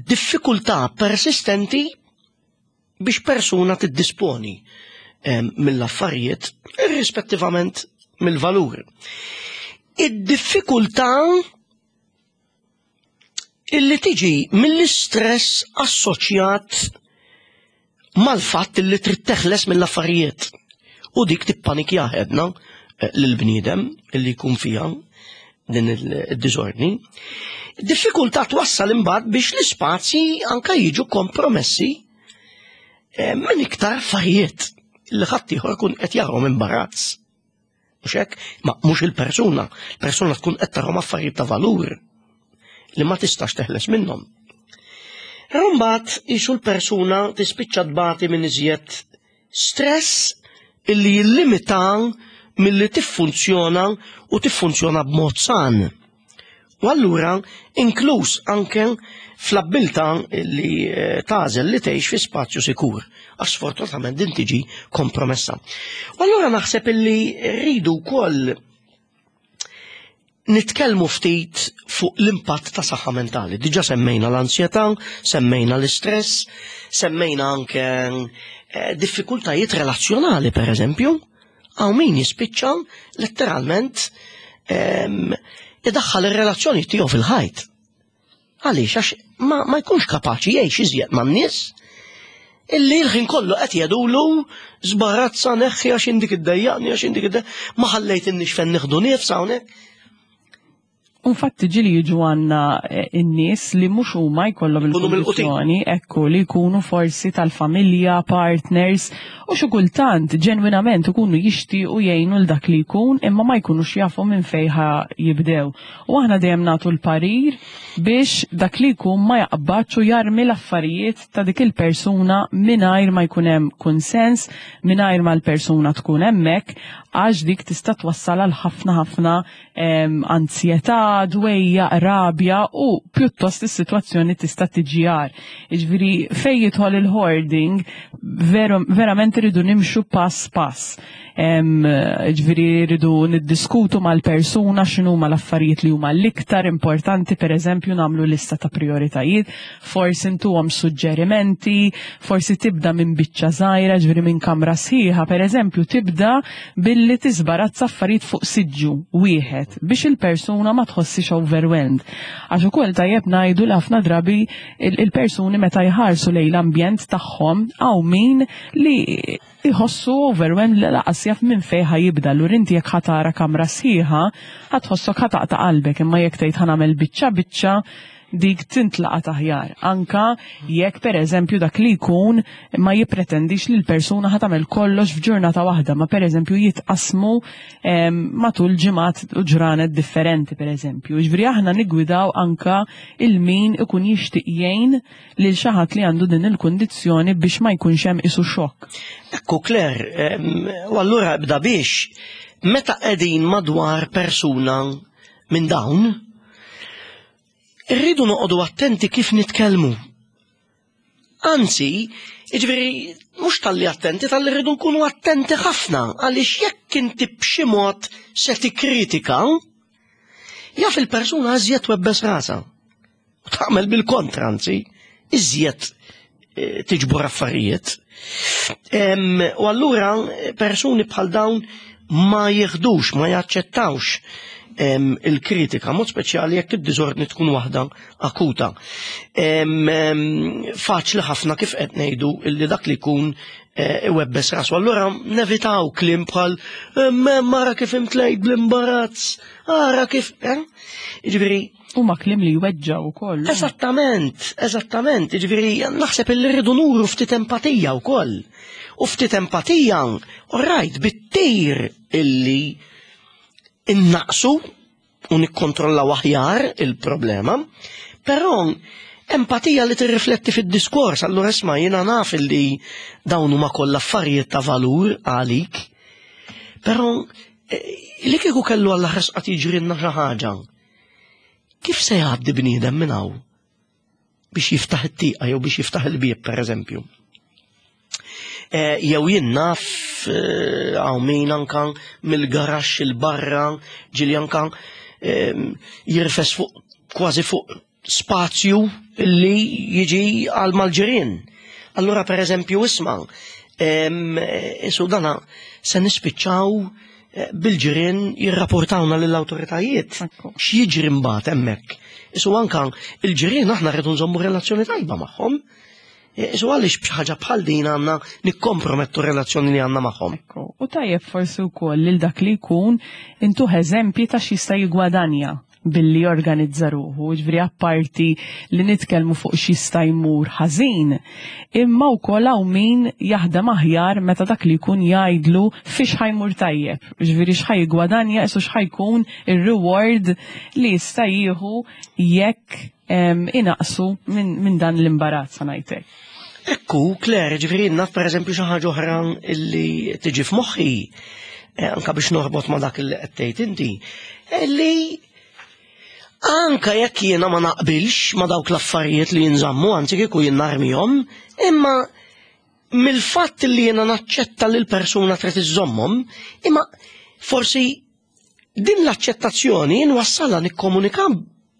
diffikultà persistenti biex persuna tiddisponi mill-affarijiet irrispettivament mill-valur. Id-diffikultà illi tiġi mill-istress assoċjat mal-fatt illi trid teħles mill-affarijiet u dik tippanikja ħedna lill-bniedem illi jkun fiha din id-diżordni. Diffikultà twassal imbagħad biex l-ispazji anka jiġu kompromessi minn iktar affarijiet li ħadd ieħor kun qed jarahom imbarazz. Mhux hekk? Ma mhux il-persuna. Il-persuna tkun qed tarahom affarijiet ta' valur li ma tistax teħles minnhom. Imbagħad isu l-persuna tispiċċa tbati minn iżjed stress illi jillimita milli tiffunzjona u tiffunzjona b'mod san. U allura inkluż anke fl-abbiltà li tagħżel li tgħix fi spazju sikur, għax sfortunatament din tiġi kompromessa. U allura naħseb illi rridu wkoll nitkellmu ftit fuq l-impatt ta' saħħa mentali. Diġà semmejna l-ansjetà, semmejna l-istress, semmejna anke diffikultajiet relazzjonali, per eżempju. Hawn min jispiċċa letteralment idaħħal ir-relazzjoni tiegħu fil-ħajt. Għaliex? Għax ma jkunx kapaċi jgħix iżjed man-nies illi l-ħin kollu qed jgħidulu żbarazza neħħi għax indik iddejjaqni, għax indik iddejjaqni, ma ħallejt innix fejn nieħdu nifs hawnhekk. Infatti ġieli jiġu għandna in-nies li mhux huma jkollhom Ikunu mill-qutin. il-kundizzjoni, ekku, li jkunu forsi tal-familja, partners, u xi kultant ġenwinament ikunu jixtiequ jgħinu l dak li jkun imma ma jkunux jafu minn fejn ħa jibdew. U aħna dejjem nagħtu l-parir biex dak li jkun ma jaqbadx u jarmi l-affarijiet ta' dik il-persuna mingħajr ma jkun hemm kunsens, mingħajr ma l-persuna tkun hemmhekk, għax dik tista' twassal għal ħafna ħafna anzjetà, ansjetà, dwejjaq, rabja u pjuttost is-sitwazzjoni tista' tiġi agħar. Jiġifieri fejn jidħol il-hoarding verament irridu nimxu pass pass. Ġifieri rridu niddiskutu mal-persuna x'inhuma l-affarijiet li huma l-iktar importanti, pereżempju nagħmlu lista ta' prioritajiet, forsi ntuhom suġġerimenti, forsi tibda minn biċċa żgħira, ġifieri minn kamra sħiħa, pereżempju tibda billi tiżbarazza affarijiet fuq siġġu wieħed biex il-persuna ma tħossix overwhelmed. Għax ukoll tajjeb ngħidu li ħafna drabi il-persuni meta jħarsu lejn l-ambjent tagħhom hawn min li jħossu overwhelmed li lanqas jaf minn fejn ħa jibda. Allura inti jekk ħa tara kamra sħiħa, ħa tħossok ħa taqta' qalbek, imma jekk tgħid ħa nagħmel biċċa biċċa, dik tintlaqat aħjar. Anka jekk pereżempju dak li jkun ma jippretendix li l-persuna ħa tagħmel kollox f'ġurnata waħda, ma pereżempju jitqasmu matul ġimgħat u ġranet differenti pereżempju. Jiġifieri aħna niggwidaw anka il-min ikun jixtieq jgħin lil xi ħadd li għandu din il-kundizzjoni biex ma jkunx hemm isu xokk. Ekku Claire, u allura ibda biex meta qegħdin madwar persuna minn dawn, irridu noqogħdu attenti kif nitkellmu. Anzi, jiġifieri mhux talli attenti, talli rridu nkunu attenti ħafna għaliex jekk inti b'xi mod se tikkritika, jaf il-persuna iżjed twebbes rasha. U tagħmel bil-kontra, anzi, iżjed tiġbor affarijiet. U allura persuni bħal dawn ma jieħdux, ma jaċċettawx il-kritika, mod speċjali jekk id-diżordni tkun waħda akuta. Faċli ħafna kif qed ngħidu illi dak li jkun iwebbes rasu. Allura nevitaw kliem bħal mara kif imtlejt bl-imbarazz, ara kif, eh? Jiġifieri Huma kliem li jweġġaw ukoll. Eżattament, eżattament, jiġifieri naħseb illi rridu nuru ftit empatija wkoll. U ftit empatija, all right, bit-tir illi innaqsu u nikkontrollaw aħjar il-problema, però empatija li tirrifletti fid-diskors, allura isma' jiena naf illi dawn huma kollha affarijiet ta' valur għalik, però li kieku kellu Alla ħares qatt jiġrilna xi ħaġa, kif se jgħaddi bniedem minn hawn biex jiftaħ it-tieqa jew biex jiftaħ il-bieb pereżempju? Jew jien naf hawn min anka mill-garaxx il-barra ġieli anka jirfes fuq kważi fuq spazju li jiġi għal mal-ġirien. Allura per eżempju isma' isu dana se nispiċċaw bil-ġirien jirrapportawna lill-awtoritajiet. X'jiġri mbagħad hemmhekk? Isu anka il-ġirien aħna rridu nżommu relazzjoni tajba magħhom. Isu għaliex b'xi ħaġa bħal din għandna nikkompromettu relazzjoni li għandna magħhom. Ekku, u tajjeb forsi wkoll lil dak li jkun intuh eżempji ta' x'jista' jiggwadanja billi jorganizza ruħu, ġifieri apparti li nitkellmu fuq x'jista' jmur ħażin, imma wkoll hawn min jaħdem aħjar meta dak li jkun jgħidlu fiex ħa jmur tajjeb, ġifieri x'ħa jiggwadanja, isu x'ħa jkun ir-reward li jista' jieħu jekk inaqsu minn dan l-imbarazz, ħa ngħid hekk. Ekku, Claire, ġifieri naf pereżempju xi ħaġa oħra illi tiġi f'moħħi, anka biex norbot ma' dak li qed tgħid inti, li anka jekk jiena ma naqbilx ma' dawk l-affarijiet li jinżammu, anzi kieku jien narmihom, imma mill-fatt li jiena naċċetta li l-persuna trid iżżommhom, imma forsi din l-aċċettazzjoni nwassalha nikkomunika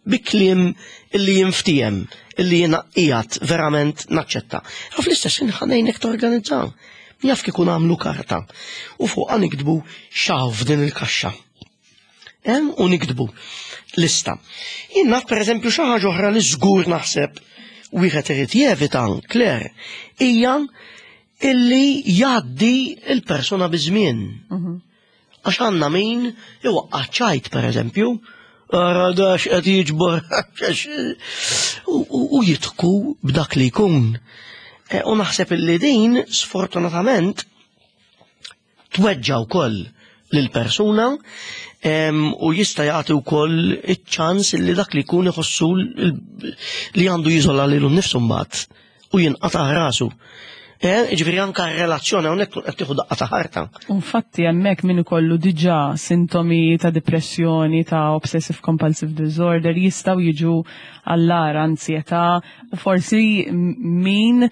bi kliem illi jinftiehem, illi jiena qiegħed verament naċċetta. Imma fl-istess ħin ħa ngħinek torganizza. Jaf kieku nagħmlu karta u fuqha niktbu x'hawn f'din il-kaxxa. Hemm u niktbu lista. Jien naf pereżempju xi ħaġa oħra li żgur naħseb wieħed irid jevita, Claire, hija illi jgħaddi il-persuna biż-żmien. Għax għandna min iwaqqa' ċajt pereżempju, ara dax qed jiġbor u jitku b'dak li jkun. U naħseb illi din sfortunatament tweġġa' wkoll lill-persuna u jista' jagħti wkoll iċ-ċans illi dak li jkun iħossu li għandu jiżola lilu nnifsu mbagħad u jinqata' rasu. Eh, ġifieri anka r-relazzjoni hawnhekk tkun qed tieħu daqqa ta' ħarta. Infatti hemmhekk min ikollu diġà sintomi ta' depressjoni, ta' obsessive compulsive disorder jistgħu jiġu għall-agħar ansjetà u forsi min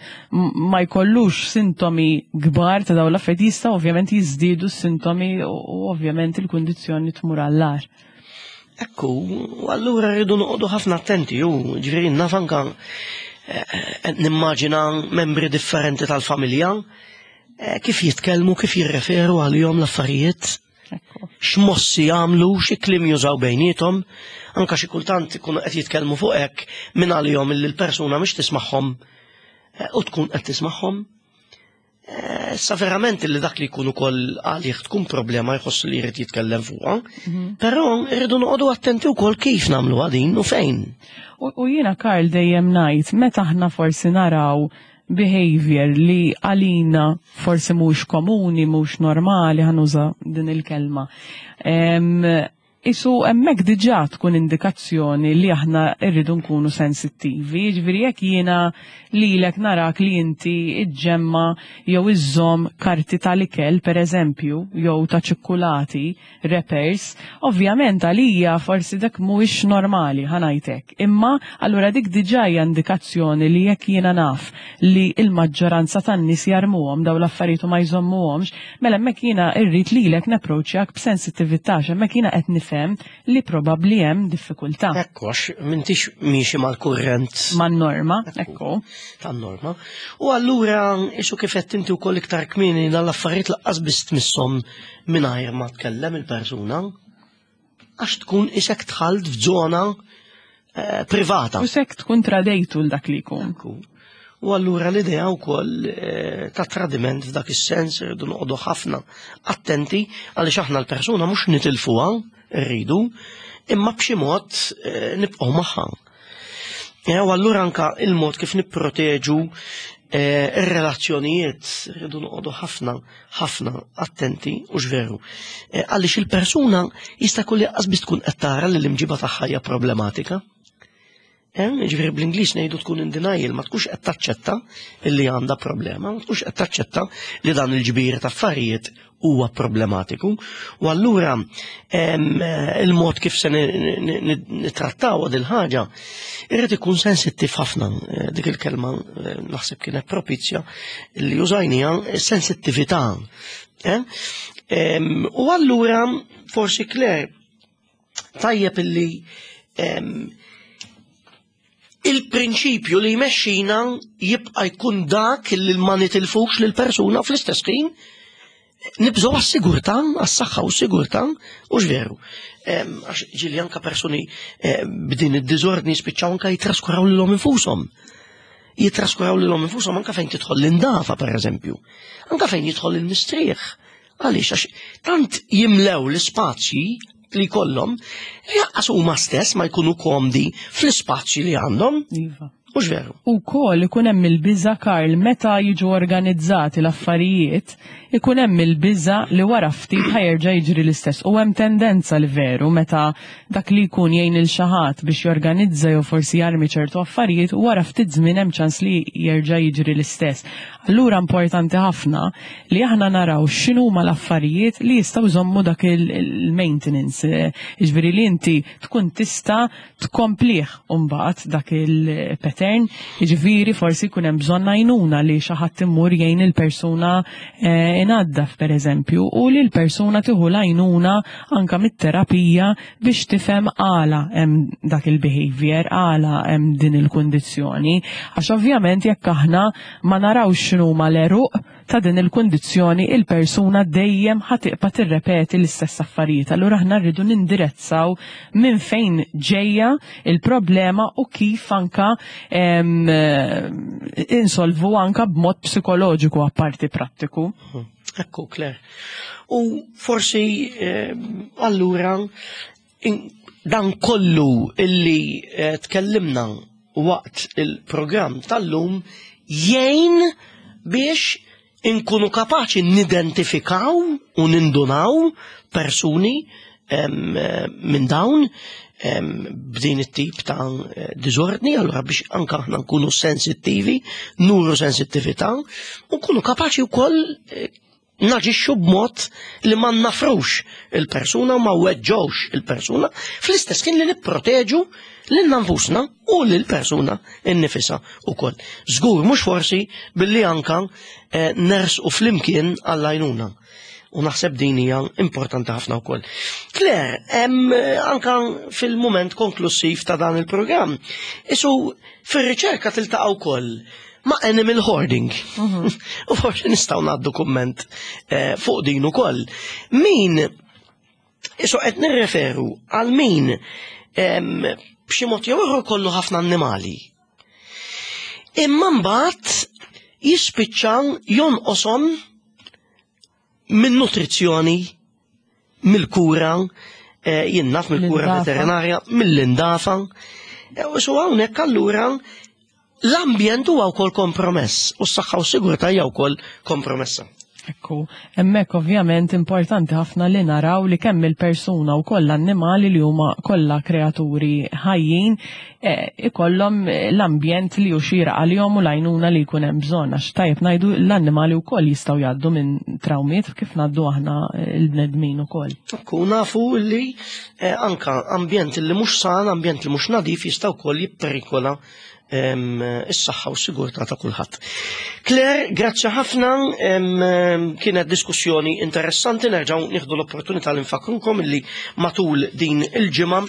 ma jkollux sintomi kbar ta' dawn l-affarijiet jistgħu ovvjament jiżdiedu s-sintomi u ovvjament il-kundizzjoni tmur għall-agħar. Ekku, u allura rridu noqogħdu ħafna attenti, u ġifieri naf anka eh, eh, nimmaġina membri differenti tal-familja eh, kif jitkellmu, kif jirreferu għalihom l-affarijiet, x'mossi jagħmlu, xi kliem jużaw bejniethom, anka xi kultant ikunu qed jitkellmu fuq hekk minn għalihom illi l-persuna mhix tismagħhom u tkun qed tismagħhom. Eh, sa verament li dak li jkun ukoll għalih tkun problema jħoss li jrid jitkellem fuqha. Mhm. Però rridu noqogħdu attenti wkoll kif nagħmlu din u fejn. U jiena Karl dejjem ngħid meta aħna forsi naraw behavior li għalina forsi mhux komuni, mhux normali, ħanuża din il-kelma. Isu hemmhekk diġà tkun indikazzjoni li aħna rridu nkunu sensittivi, jiġifieri jekk jiena lilek narak li inti iġġemma jew iżżomm karti tal-ikel pereżempju jew ta' ċikkulati, wrappers, ovvjament għalija forsi dak mhuwiex normali ħa ngħid hekk. Imma allura dik diġà hija indikazzjoni li jekk jiena naf li l-maġġoranza tan-nies jarmuhom dawn l-affarijiet u ma jżommuhomx, Mela hemmhekk jiena rrid lilek napproċċjak b'sensittività għax hemmhekk jiena qed nifhem li probabbli hemm diffikultà. Ekku, għax m'intix miexi mal-kurrent. Man-norma, ekku. Tan-norma. U allura isu kif qed inti wkoll iktar kmieni dan l-affarijiet laqqas biss tmisshom mingħajr ma tkellem il-persuna. Għax tkun isek dħalt f'żona eh, privata. U sekk tkun tradejtu l dak li jkun. U allura l-idea wkoll eh, ta' tradiment f'dak is-sens irridu noqogħdu ħafna attenti għaliex aħna l-persuna mhux nitilfuha rridu, imma b'xi mod eh, nibqgħu magħha. U allura anka il-mod kif nipproteġu eh, ir-relazzjonijiet rridu noqogħdu ħafna ħafna attenti u x'veru. Eh, għaliex il-persuna jista' jkun li qas biss tkun qed tara li l-imġiba tagħha hija problematika. Eh, ġifieri bl-Ingliż ngħidu tkun in denial, ma tkunx qed taċċetta li għandha problema, ma tkunx qed taċċetta li dan il-ġbir ta' affarijiet huwa problematiku. U allura il-mod kif se nitrattaw din ħaġa irrid ikun sensittiv ħafna eh, dik il-kelma eh, naħseb kienet propizja li użajnija sensittività. Eh? U allura forsi Claire tajjeb illi il-prinċipju li jmexxina jibqa' jkun dak li ma nitilfux lil persuna fl-istess ħin nibżgħu għas-sigurtà, għas-saħħa u s-sigurtà, u veru. Għax ġieli anka persuni eh, b'din id-diżordni spiċċaw anka jitraskuraw lilhom infushom. Jitraskuraw lilhom infushom anka fejn tidħol l-indafa, per eżempju. Anka fejn jidħol il-mistrieħ. Għaliex għax tant jimlew l-ispazji li jkollhom li jaqqas huma stess ma jkunu komdi fl-ispazji li għandhom. Iva. Mhux veru. U kol ikun hemm il-biża' Karl meta jiġu organizzati l-affarijiet, ikun hemm il-biża' li wara ftit ħajerġa' jiġri l-istess. U hemm tendenza li veru meta dak li jkun jgħin il xi ħadd biex jorganizza jew forsi jarmi ċertu affarijiet, wara ftit żmien hemm ċans li jerġa' jiġri l-istess. Allura importanti ħafna li aħna naraw x'inhuma l-affarijiet li jistgħu jżommu dak il-maintenance, jiġifieri li inti tkun tista' tkomplih mbagħad dak il-pattern, jiġifieri forsi jkun hemm bżonn għajnuna li xi ħadd imur jgħin il-persuna eh, inaddaf pereżempju u li l-persuna tieħu l-għajnuna anka mit-terapija biex tifhem għala hemm dak il-behavior, għala hemm din il-kundizzjoni. Għax ovvjament jekk aħna ma narawx x'inhuma l-għeruq ta' din il-kundizzjoni il-persuna dejjem ħa tibqa' tirrepeti l-istess affarijiet. Allura aħna rridu nindirezzaw minn fejn ġejja il-problema u kif anka insolvu anka b'mod psikoloġiku apparti prattiku. Ekku, Claire. U forsi allura dan kollu illi eh, tkellimna waqt il-programm tal-lum jgħin biex inkunu kapaċi nidentifikaw u nindunaw persuni minn dawn b'din it-tip ta' diżordni, allura biex anka aħna nkunu sensittivi, nuru sensittività, u nkunu kapaċi wkoll eh, naġixxu b'mod li ma nafrux il-persuna u ma weġġewx il-persuna, fl-istess kien li nipproteġu lil nfusna u lil persuna innifisha ukoll. Żgur mhux forsi billi anka eh, nersqu flimkien għall-għajnuna. U naħseb din hija importanti ħafna wkoll. Claire, hemm eh, anka fil-mument konklusiv ta' dan il-programm, isu fir-riċerka tiltaqa' wkoll ma' animal hoarding. Mhm. U forsi nistgħu ngħaddu kumment eh, fuq din ukoll. Min isu qed nirreferu għal min b'xi mod jew ieħor kollu ħafna annimali. Imma mbagħad jispiċċa jonqoshom minn nutrizzjoni, mill-kura, eh, jien naf mill-kura veterinarja, mill-indafa. Eh, u so hawnhekk allura l-ambjent huwa wkoll kompromess u s-saħħa u s-sigurtà hija wkoll kompromessa. Ekku, hemmhekk ovvjament importanti ħafna li naraw li kemm il-persuna u koll l-annimali li huma kollha kreaturi ħajjin eh, ikollhom l-ambjent li hu xieraq għalihom u l-għajnuna li jkun hemm bżonn għax tajjeb ngħidu l-annimali wkoll jistgħu jgħaddu minn trawmiet kif ngħaddu aħna l-bnedmin ukoll. Ekku, nafu li eh, anka ambjent li mhux san, ambjent li mhux nadif jista' wkoll jipperikola is-saħħa u s-sigurtà ta' kulħadd. Claire, grazzi ħafna, kienet diskussjoni interessanti, nerġgħu nieħdu l-opportunità li nfakrukom illi matul din il-ġimgħa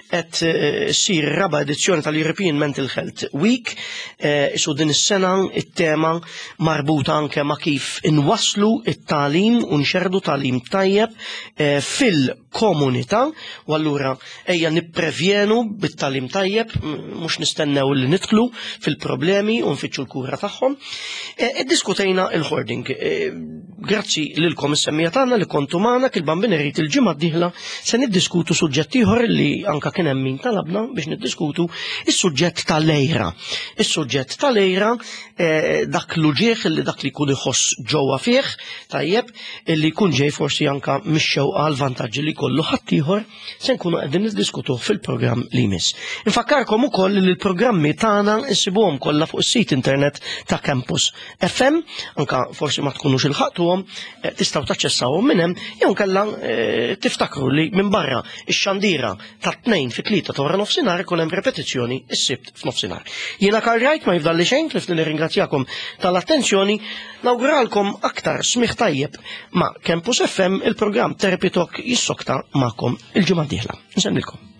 qed eh, ssir raba edizzjoni tal-European Mental Health Week, eh, isu din is-sena it-tema marbuta anke ma' kif inwasslu it-tagħlim u nxerrdu tagħlim tajjeb eh, fil-komunità u allura Ejja nipprevjenu bit-tagħlim tajjeb, mhux nistennew li nidħlu fil-problemi u nfittxu l-kura tagħhom. E, iddiskutejna il-hoarding. E, grazzi lilkom is-semmija tagħna li kontu magħna kil-bambin irid il-ġimgħa d-dieħla se niddiskutu suġġett ieħor li anka kien hemm min talabna biex niddiskutu is-suġġett tal-lejra. Is-suġġett tal-lejra e, dak l-uġieħ li dak li jkun iħoss ġewwa fih, tajjeb, li jkun ġej forsi anka mix-xewqa għal vantaġġi li jkollu ħaddieħor se nkunu qegħdin niddiskutuh fil-programm li jmiss. Infakkarkom ukoll li l-programmi tagħna nsibuhom kollha fuq is-sit internet ta' Campus FM, anka forsi ma tkunux ilħaqtuhom, eh, tistgħu taċċessawhom minn hemm jew nkella eh, tiftakru li minn barra ix-xandira ta' tnejn fit-tlieta ta' wara nofsinhar ikun hemm repetizzjoni s-sibt f'nofsinhar. Jiena Karl Wright ma jifdalli xejn tlif li nirringrazzjakom tal-attenzjoni, nawguralkom aktar smigħ tajjeb ma' Campus FM il-programm Therapy Talk jissokta magħkom il-ġimgħa d-dieħla. Nsellmilkom.